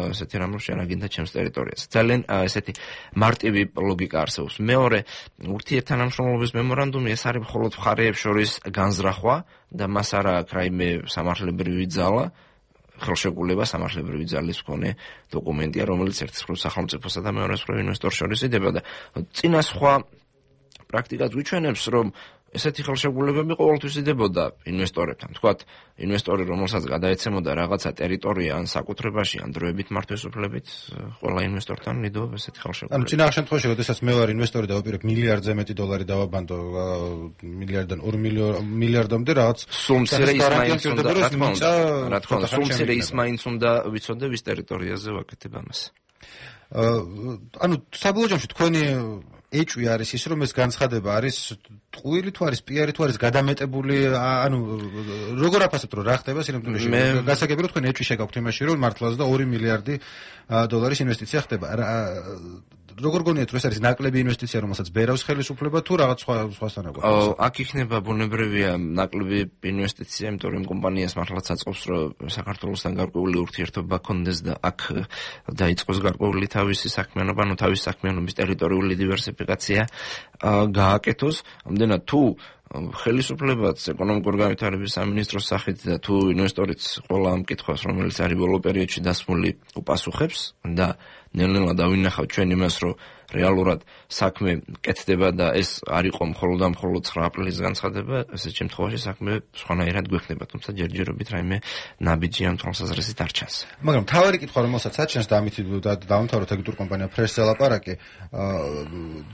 ესეთი რამ რომ შეანაგინდა ჩემს ტერიტორიაზე. ძალიან ესეთი მარტივი ლოგიკა არსებობს. მეორე, ურთიერთთანამშრომლობის მემორანდუმი ეს არის მხოლოდ მხარეებს შორის განზრახვა და მას არ აქვს რაიმე სამართლებრივი ძალა, ხელშეკრულება სამართლებრივი ძალის მქონე დოკუმენტია, რომელიც ერთის მხრივ სახელმწიფოსა და მეორეს მხრივ ინვესტორს შორის იდება და წინა სხვა პრაქტიკად ვიჩვენებს, რომ ესეთი ხელშეკრულებები ყოველთვის იდებოდა ინვესტორებთან. თქვათ, ინვესტორი, რომელსაც გადაეცემოდა რაღაცა ტერიტორია ან საკუთრებაში, ან დროებით მართვის უფლებით, ყველა ინვესტორთან იდეოდა ესეთი ხელშეკრულება.
ანუ წინა შემთხვევაში, როდესაც მე ვარ ინვესტორი და ვაპირებ მილიარდზე მეტი დოლარი დავაბანდო, მილიარდიდან ორ მილიარდამდე რაღაც
სულ მცირე ის მაინც უნდა, რა თქმა უნდა, რა თქმა უნდა, სულ მცირე ის მაინც უნდა ვიცოდე ვის ტერიტორიაზე ვაკეთებ ამას.
ანუ საბოლოო ჯამში თქვენი ეჭვი არის ის, რომ ეს განცხადება არის ტყუილი თუ არის პიარი თუ არის გადამეტებული, ანუ როგორ აფასებთ, რომ რა ხდება სინამდვილეში? გასაგები რომ თქვენ ეჭვი შეგაქვთ იმაში, რომ მართლაც და ორი მილიარდი დოლარის ინვესტიცია ხდება. როგორ გონიათ რომ ეს არის ნაკლები ინვესტიცია, რომელსაც ბერავს ხელისუფლება თუ რაღაც სხვა სხვასთან აქვს?
აქ იქნება ბუნებრივია ნაკლები ინვესტიცია, იმიტომ რომ კომპანიას მართლაც აწყობს რომ საქართველოსთან გარკვეული ურთიერთობა ქონდეს და აქ დაიწყოს გარკვეული თავისი საქმიანობა, ანუ თავისი საქმიანობის ტერიტორიული დივერსიფიკაცია გააკეთოს. ამდენად თუ ხელისუფლებაც ეკონომიკური განვითარების სამინისტროს სახით და თუ ინვესტორიც ყველა ამ კითხვას, რომელიც არის ბოლო პერიოდში დასმული, უპასუხებს და ნელ-ნელა დავინახავთ ჩვენ იმას, რომ რეალურად საქმე კეთდება და ეს არ იყო მხოლოდ და მხოლოდ ცხრა აპრილის განცხადება, ესეთ შემთხვევაში საქმე სხვანაირად გვექნება, თუმცა ჯერჯერობით რაიმე ნაბიჯი ამ თვალსაზრისით არ ჩანს.
მაგრამ თავარი კითხვა, რომელსაც აჩენს და ამით დავამთავროთ აგენტურ კომპანია ფრესს ელაპარაკი,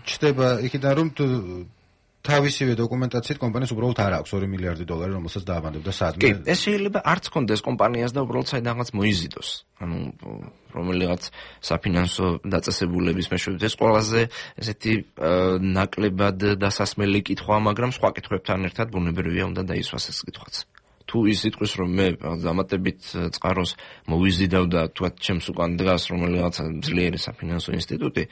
ჩდება იქიდან რომ თავისივე დოკუმენტაციით კომპანიას უბრალოდ არ აქვს ორი მილიარდი დოლარი, რომელსაც დააბანდებდა სადმე.
კი, ეს შეიძლება არც კონდეს კომპანიას და უბრალოდ საიდანღაც მოიზიდოს. ანუ რომელიღაც საფინანსო დაწესებულების მეშვეობით ეს ყველაზე ესეთი ნაკლებად დასასმელი კითხვა, მაგრამ სხვა კითხვებთან ერთად ბუნებრივია უნდა დაისვას ეს კითხვაც. თუ ის იტყვის რომ მე დამატებით წყაროს მოვიზიდავ და თქვათ ჩემს უკან დგას რომელიღაც ძლიერი საფინანსო ინსტიტუტი,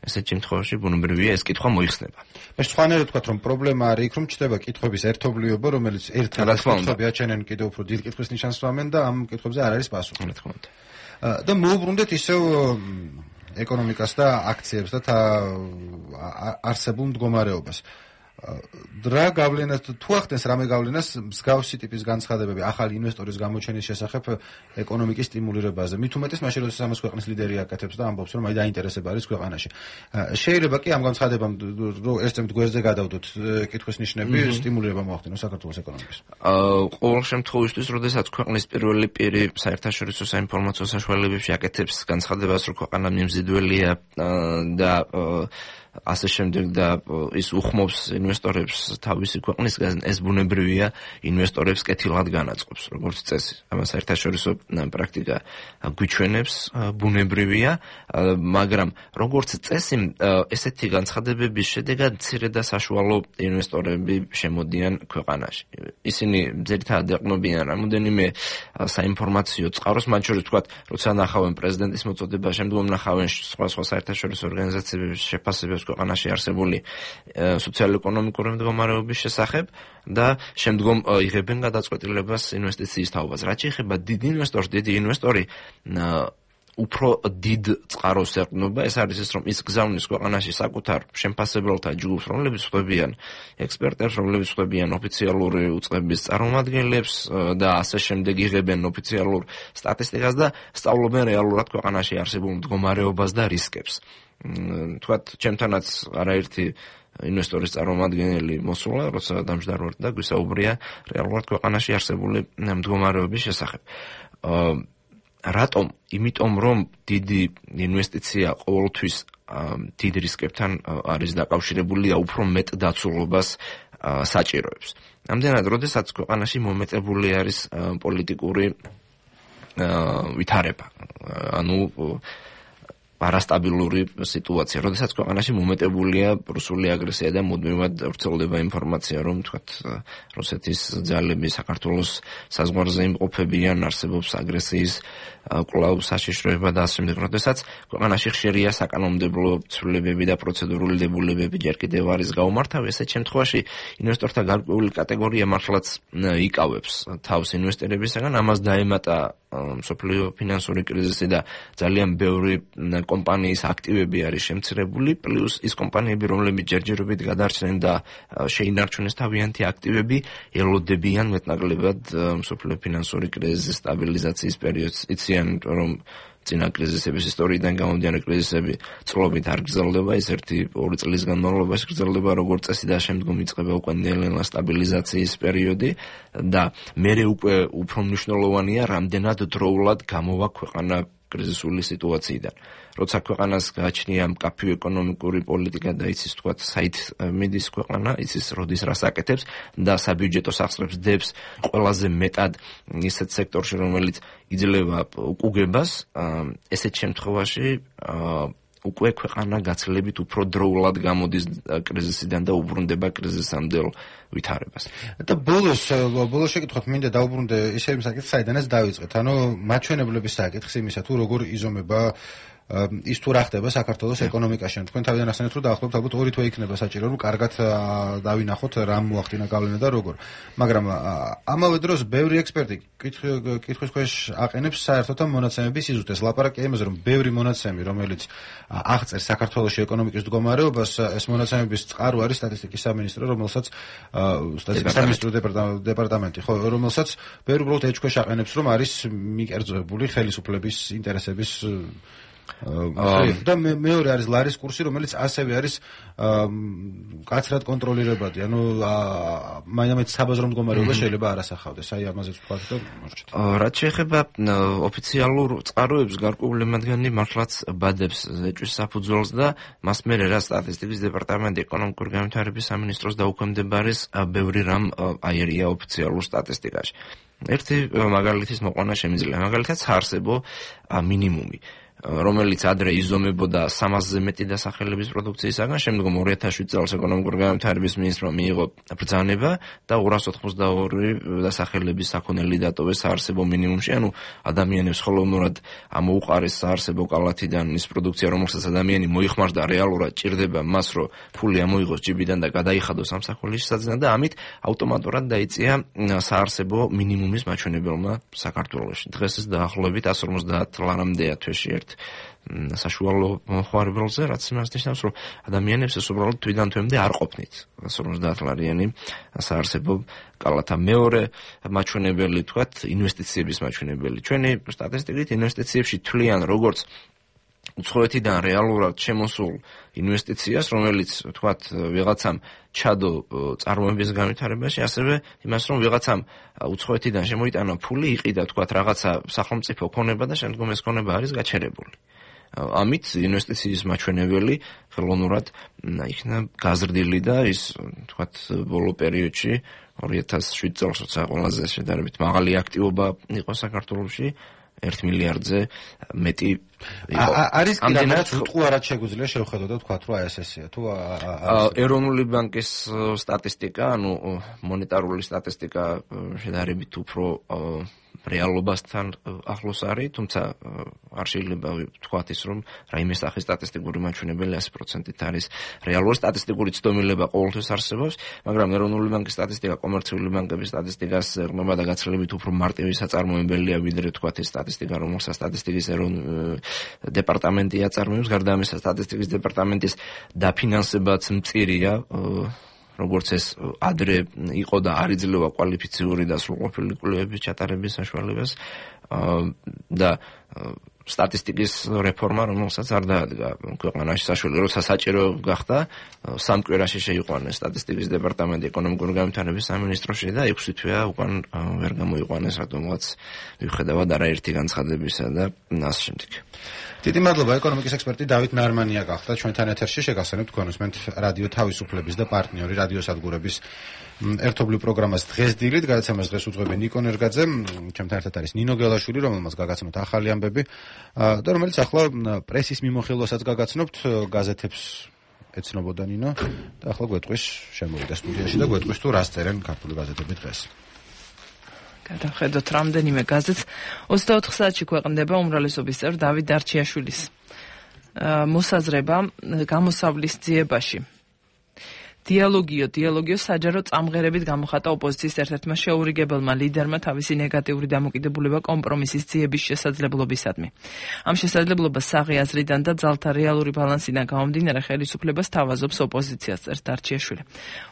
ესეთ შემთხვევაში ბუნებრივია ეს კითხვა მოიხსნება.
მე სხვანაირად ვთქვათ რომ პრობლემა არის იქ რომ ჩდება კითხვების ერთობლიობა, რომელიც ერთად კითხვები აჩენენ კიდევ უფრო დიდ კითხვის ნიშანს ვამენ და ამ კითხვებზე არ არის პასუხი.
რა თქმა უნდა.
და მოუბრუნდეთ ისევ ეკონომიკას და აქციებს და არსებულ მდგომარეობას. რა გავლენას თუ ახდენს რამე გავლენას მსგავსი ტიპის განცხადებები ახალი ინვესტორის გამოჩენის შესახებ ეკონომიკის სტიმულირებაზე. მით უმეტეს მაშინ როდესაც ამას ქვეყნის ლიდერი აკეთებს და ამბობს რომ აი დაინტერესება არის ქვეყანაში. შეიძლება კი ამ განცხადებამ რომ ერთ-ერთ გვერდზე გადავდოთ კითხვის ნიშნები სტიმულირება მოახდინოს საქართველოს ეკონომიკას.
ყოველ შემთხვევაში, როდესაც ქვეყნის პირველი პირი საერთაშორისო საინფორმაციო საშუალებებში აკეთებს განცხადებას, რომ ქვეყანა მიმზიდველია და ასე შემდეგ და ის უხმობს ინვესტორებს თავისი ქვეყნისგან, ეს ბუნებრივია ინვესტორებს კეთილად განაწყობს, როგორც წესი. ამას საერთაშორისო პრაქტიკა გვიჩვენებს, ბუნებრივია, მაგრამ როგორც წესი, ესეთი განცხადებების შედეგად მცირე და საშუალო ინვესტორები შემოდიან ქვეყანაში. ისინი ძირითადად ეყნობიან რამოდენიმე საინფორმაციო წყაროს, მათ შორის ვთქვათ, როცა ნახავენ პრეზიდენტის მოწოდება, შემდგომ ნახავენ სხვა სხვა საერთაშორისო ორგანიზაციების შეფასებებს ქვეყანაში არსებული სოციალურ-ეკონომიკური მდგომარეობის შესახებ და შემდგომ იღებენ გადაწყვეტილებას ინვესტიციის თაობაზე. რაც შეეხება დიდ ინვესტორს, დიდი ინვესტორი უფრო დიდ წყაროს ეყრდნობა, ეს არის ის, რომ ის გზავნის ქვეყანაში საკუთარ შემფასებელთა ჯგუფს, რომლებიც ხვდებიან ექსპერტებს, რომლებიც ხვდებიან ოფიციალური უწყების წარმომადგენლებს და ასე შემდეგ იღებენ ოფიციალურ სტატისტიკას და სწავლობენ რეალურად ქვეყანაში არსებულ მდგომარეობას და რისკებს. თქვათ, ჩემთანაც არაერთი ინვესტორის წარმომადგენელი მოსულა, როცა დამჯდარვართ და გვისაუბრია რეალურად ქვეყანაში არსებული მდგომარეობის შესახებ. რატომ? იმიტომ რომ დიდი ინვესტიცია ყოველთვის დიდ რისკებთან არის დაკავშირებული და უფრო მეტ დაცულობას საჭიროებს. ამდენად, როდესაც ქვეყანაში მომეტებული არის პოლიტიკური ვითარება, ანუ არასტაბილური სიტუაცია, როდესაც ქვეყანაში მომეტებულია რუსული აგრესია და მუდმივად ვრცელდება ინფორმაცია, რომ თქვათ რუსეთის ძალები საქართველოს საზღვარზე იმყოფებიან, არსებობს აგრესიის კვლავ საშიშროება და ასე შემდეგ, როდესაც ქვეყანაში ხშირია საკანონმდებლო ცვლილებები და პროცედურული დებულებები ჯერ კიდევ არის გაუმართავი, ესეთ შემთხვევაში ინვესტორთა გარკვეული კატეგორია მართლაც იკავებს თავს ინვესტირებისაგან, ამას დაემატა მსოფლიო ფინანსური კრიზისი და ძალიან ბევრი კომპანიის აქტივები არის შემცირებული, პლუს ის კომპანიები, რომლებიც ჯერჯერობით გადარჩნენ და შეინარჩუნეს თავიანთი აქტივები, ელოდებიან მეტნაკლებად მსოფლიო ფინანსური კრიზისის სტაბილიზაციის პერიოდს. იციან, რომ წინა კრიზისების ისტორიიდან გამომდინარე კრიზისები წლობით არ გრძელდება, ის ერთი ორი წლის განმავლობაში გრძელდება როგორც წესი და შემდგომ იწყება უკვე ნელ-ნელა სტაბილიზაციის პერიოდი და მერე უკვე უფრო მნიშვნელოვანია, რამდენად დროულად გამოვა ქვეყანა კრიზისული სიტუაციიდან. როცა ქვეყანას გააჩნია მკაფიო ეკონომიკური პოლიტიკა და იცის თქვათ საით მიდის ქვეყანა, იცის როდის რას აკეთებს და საბიუჯეტო სახსრებს დებს ყველაზე მეტად ისეთ სექტორში, რომელიც იძლევა უკუგებას, ესეთ შემთხვევაში უკვე ქვეყანა გაცილებით უფრო დროულად გამოდის კრიზისიდან და უბრუნდება კრიზისამდელ ვითარებას.
და ბოლოს ბოლოს შეკითხოთ მინდა დაუბრუნდე ისე იმ საკითხს, საიდანაც დავიწყეთ. ანუ მაჩვენებლების საკითხს იმისა თუ როგორ იზომება ის თუ რა ხდება საქართველოს ეკონომიკაში. თქვენ თავიდან ახსენეთ, რომ დაახლოებით ალბათ ორი თვე იქნება საჭირო, რომ კარგად დავინახოთ რა მოახდინა გავლენა და როგორ. მაგრამ ამავე დროს ბევრი ექსპერტი კითხვის ქვეშ აყენებს საერთოდ ამ მონაცემების სიზუსტეს. ლაპარაკია იმაზე, რომ ბევრი მონაცემი, რომელიც აღწერს საქართველოს ეკონომიკის მდგომარეობას, ეს მონაცემების წყარო არის სტატისტიკის სამინისტრო, რომელსაც სტატისტიკის სამინისტრო დეპარტამენტი, ხო, რომელსაც ბევრი უბრალოდ ეჭქვეშ აყენებს, რომ არის მიკერძებული ხელისუფლების ინტერესების და მეორე არის ლარის კურსი, რომელიც ასევე არის კაცრად კონტროლირებადი. ანუ მაინც საბაზრო მდგომარეობა შეიძლება არ ასახავდეს. აი ამაზეც ვთქვათ და მორჩით.
რაც შეეხება ოფიციალურ წყაროებს, გარკვეული მათგანი მართლაც ბადებს ეჭვის საფუძველს და მას მერე რა სტატისტიკის დეპარტამენტი ეკონომიკური განვითარების სამინისტროს დაუქვემდებარეს ბევრი რამ აერია ოფიციალურ სტატისტიკაში. ერთი მაგალითის მოყვანა შემიძლია. მაგალითად საარსებო მინიმუმი, რომელიც ადრე იზომებოდა სამასზე მეტი დასახელების პროდუქციისაგან, შემდგომ ორი ათას შვიდ წელს ეკონომიკური განვითარების მინისტრმა მიიღო ბრძანება და ორას ოთხმოცდაორი დასახელების საქონელი დატოვეს საარსებო მინიმუმში. ანუ ადამიანებს ხელოვნურად ამოუყარეს საარსებო კალათიდან ის პროდუქცია, რომელსაც ადამიანი მოიხმარდა რეალურად, ჭირდება მას, რომ ფული ამოიღოს ჯიბიდან და გადაიხადოს სამსახურის სadzნად და ამით ავტომატურად დაიწია საარსებო მინიმუმის მაჩვენებელმა საქართველოში. დღეს ეს დაახლოებით εκατს ორმოცდაათ ლარამდეა თვეში ერთ საშუალო მოხმარებელზე, რაც იმას ნიშნავს, რომ ადამიანებს ეს უბრალოდ თვიდან თვემდე არ ყოფნით εκατს ორმოცდაათ ლარიანი საარსებო კალათა. მეორე მაჩვენებელი, თქვათ, ინვესტიციების მაჩვენებელი. ჩვენი სტატისტიკით ინვესტიციებში თვლიან როგორც უცხოეთიდან რეალურად შემოსულ ინვესტიციას, რომელიც თქვათ ვიღაცამ ჩადო წარმოების განვითარებაში, ასევე იმას, რომ ვიღაცამ უცხოეთიდან შემოიტანა ფული, იყიდა თქვათ რაღაცა სახელმწიფო ქონება და შემდგომ ეს ქონება არის გაჩერებული. ამით ინვესტიციის მაჩვენებელი ხელოვნურად იქნა გაზრდილი და ის თქვათ ბოლო პერიოდში ორი ათას შვიდ წელს როცა ყველაზე შედარებით მაღალი აქტივობა იყო საქართველოში, ერთ მილიარდზე მეტი იყო.
არის კიდევაც უტყუარად შეგვიძლია შევხედოთ და თქვათ, რომ აი ეს ესეა თუ
ეროვნული ბანკის სტატისტიკა, ანუ მონეტარული სტატისტიკა შედარებით უფრო რეალობასთან ახლოს არის, თუმცა არ შეიძლება ვთქვათ ის, რომ რაიმე სახის სტატისტიკური მაჩვენებელი ასი პროცენტით არის რეალური. სტატისტიკური ცდომილება ყოველთვის არსებობს, მაგრამ ეროვნული ბანკის სტატისტიკა კომერციული ბანკების სტატისტიკას ეყრდნობა და გაცილებით უფრო მარტივი საწარმოებელია, ვიდრე თქვათ ეს სტატისტიკა, რომელსაც სტატისტიკის ეროვნული დეპარტამენტი აწარმოებს. გარდა ამისა, სტატისტიკის დეპარტამენტის დაფინანსებაც მწირია, როგორც ეს ადრე იყო და არ იძლევა კვალიფიციური და სრულყოფილი კვლევების ჩატარების საშუალებას და სტატისტიკის რეფორმა, რომელსაც არ დაადგა ქვეყანაში საშუალება, როცა საჭირო გახდა, სამ კვირაში შეიყვანეს სტატისტიკის დეპარტამენტი ეკონომიკური განვითარების სამინისტროში და ექვსი თვეა უკან ვერ გამოიყვანეს, რატომღაც მიუხედავად არაერთი განცხადებისა და ასე შემდეგ.
დიდი მადლობა. ეკონომიკის ექსპერტი დავით ნარმანია გახდა ჩვენთან ეთერში. შეგახსენებთ თქვენ უსმენთ რადიო თავისუფლების და პარტნიორი რადიო სადგურების ერთობლივ პროგრამას დღეს დილით. გადაცემას დღეს უძღვები ნიკო ნერგაძე, ჩემთან ერთად არის ნინო გელაშვილი, რომელმაც გაგაცნოთ ახალი ამბები და რომელიც ახლა პრესის მიმოხილვასაც გაგაცნობთ, გაზეთებს ეცნობოდა ნინო და ახლა გვეტყვის შემოვიდა სტუდიაში და გვეტყვის თუ რას წერენ ქართული გაზეთები დღეს.
გადავხედოთ რამდენიმე გაზეთს. ოცდაოთხ საათში ქვეყნდება უმრავლესობის წევრ დავით დარჩიაშვილის მოსაზრება გამოსავლის ძიებაში. დიალოგიო, დიალოგიო საჯარო წამღერებით გამოხატა ოპოზიციის ერთ-ერთმა შეურიგებელმა ლიდერმა თავისი ნეგატიური დამოკიდებულება კომპრომისის ძიების შესაძლებლობისადმი. ამ შესაძლებლობას საღი აზრიდან და ძალთა რეალური ბალანსიდან გამომდინარე ხელისუფლებას თავაზობს ოპოზიციას, წერს დარჩიაშვილი.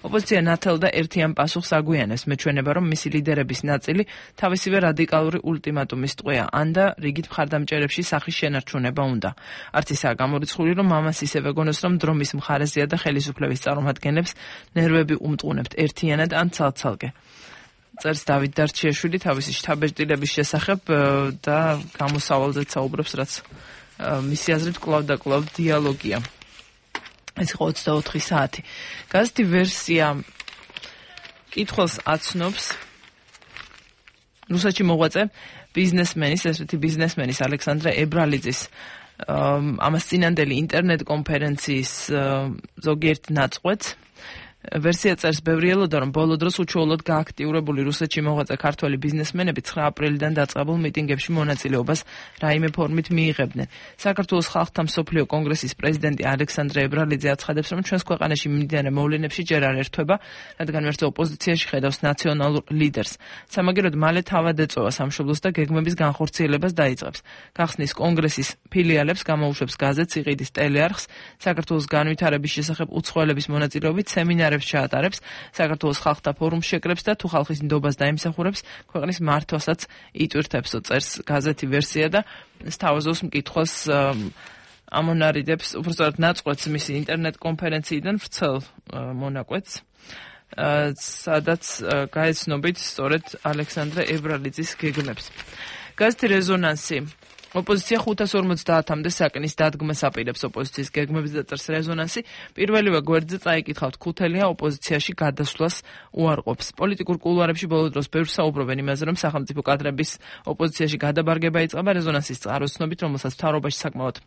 ოპოზიცია ნათელ და ერთიან პასუხს აგვიანებს, მეჩვენება, რომ მისი ლიდერების ნაწილი თავისივე რადიკალური ულტიმატუმის ტყვეა, ან და რიგით მხარდამჭერებში სახის შენარჩუნება უნდა. არც ისაა გამორიცხული, რომ ამას ისევე გონოს, რომ დრომის მხარეზეა და ხელისუფლების წარმომადგენლებს ნერვები უმტყუნებთ ერთიანად ან ცალ-ცალკე. წერს დავით დარჩიაშვილი თავისი შთაბეჭდილების შესახებ და გამოსავალზეც საუბრობს, რაც მისი აზრით კვლავ და კვლავ დიალოგია. ეს იყო ოცდაოთხი საათი. გაზეთი ვერსია კითხვას აცნობს რუსეთში მოღვაწე ბიზნესმენის, ესეთი ბიზნესმენის ალექსანდრე ებრალიძის ამას წინანდელი ინტერნეტ კონფერენციის ზოგიერთ ნაწყვეტს. ვერსია წერს ბევრი ელოდა, რომ ბოლო დროს უჩვეულოდ გააქტიურებული რუსეთში მოღვაწე ქართველი ბიზნესმენები ცხრა აპრილიდან დაწყებულ მიტინგებში მონაწილეობას რაიმე ფორმით მიიღებდნენ. საქართველოს ხალხთა მსოფლიო კონგრესის პრეზიდენტი ალექსანდრე ებრალიძე აცხადებს, რომ ჩვენს ქვეყანაში მიმდინარე მოვლენებში ჯერ არ ერთვება, რადგან ვერც ოპოზიციაში ხედავს ნაციონალურ ლიდერს. სამაგიეროდ მალე თავად ეწოვა სამშობლოს და გეგმების განხორციელებას დაიწყებს. გახსნის კონგრესის ფილიალებს გამოუშვებს გაზეთს, იყიდის ტელეარხს, საქართველოს განვითარების შესახებ უცხოელების მონაწილეობით სემინარებს ჩაატარებს, საქართველოს ხალხთა ფორუმს შეკრებს და თუ ხალხის ნდობას დაიმსახურებს, ქვეყნის მართვასაც იტვირთებს, წერს გაზეთი ვერსია და სთავაზობს მკითხვას ამონარიდებს, უბრალოდ ნაწყვეტს მისი ინტერნეტ კონფერენციიდან ვრცელ მონაკვეთს, სადაც გაეცნობით სწორედ ალექსანდრე ებრალიძის გეგმებს. გაზეთი რეზონანსი ოპოზიცია ხუთას ორმოცდაათამდე საკნის დადგმას აპირებს ოპოზიციის გეგმებს და წერს რეზონანსი. პირველივე გვერდზე წაიკითხავთ, ქუთელია ოპოზიციაში გადასვლას უარყოფს. პოლიტიკურ კულუარებში ბოლო დროს ბევრს საუბრობენ იმაზე, რომ სახელმწიფო კადრების ოპოზიციაში გადაბარგება იწყება. რეზონანსის წყაროს ცნობით, რომელსაც მთავრობაში საკმაოდ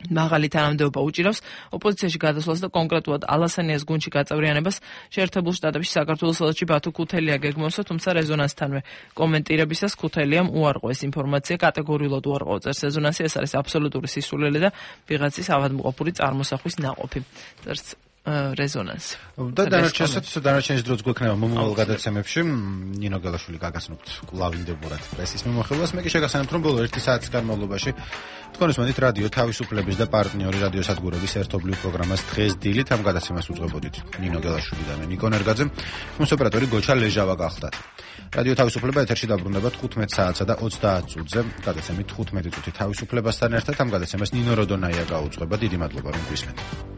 მაღალი თანამდებობა უჭირავს ოპოზიციაში გადასვლას და კონკრეტულად ალასანიას გუნდში გაწევრიანებას შეერთებულ შტატებში საქართველოს ელჩი ბათუ ქუთელია გეგმავსა, თუმცა რეზონანსთანვე კომენტირებისას ქუთელიამ უარყო ეს ინფორმაცია, კატეგორიულად უარყო წერს რეზონანსი, ეს არის აბსოლუტური სისულელე და ვიღაცის ავადმყოფური წარმოსახვის ნაყოფი. წერს რეზონანსი.
და დანარჩენსაც დანარჩენის დროც გვექნება მომავალ გადაცემებში. ნინო გელაშვილი გაგახსნებთ კვლავინდებურად პრესის მიმოხილვას. მე კი შეგახსენებთ, რომ ბოლო ერთი საათის განმავლობაში თქვენს მოდით რადიო თავისუფლების და პარტნიორი რადიო სადგურების ერთობლივ პროგრამას დღეს დილით ამ გადაცემას უძღვებოდით. ნინო გელაშვილი და მე ნიკო ნერგაძე, მის ოპერატორი გოჩა ლეჟავა გახლდათ. რადიო თავისუფლება ეთერში დაბრუნდება თხუთმეტ საათსა და ოცდაათ წუთზე. გადაცემით თხუთმეტი წუთი თავისუფლებასთან ერთად ამ გადაცემას ნინო როდონაია გაუძღვება. დიდი მადლობა რომ გვისმენთ.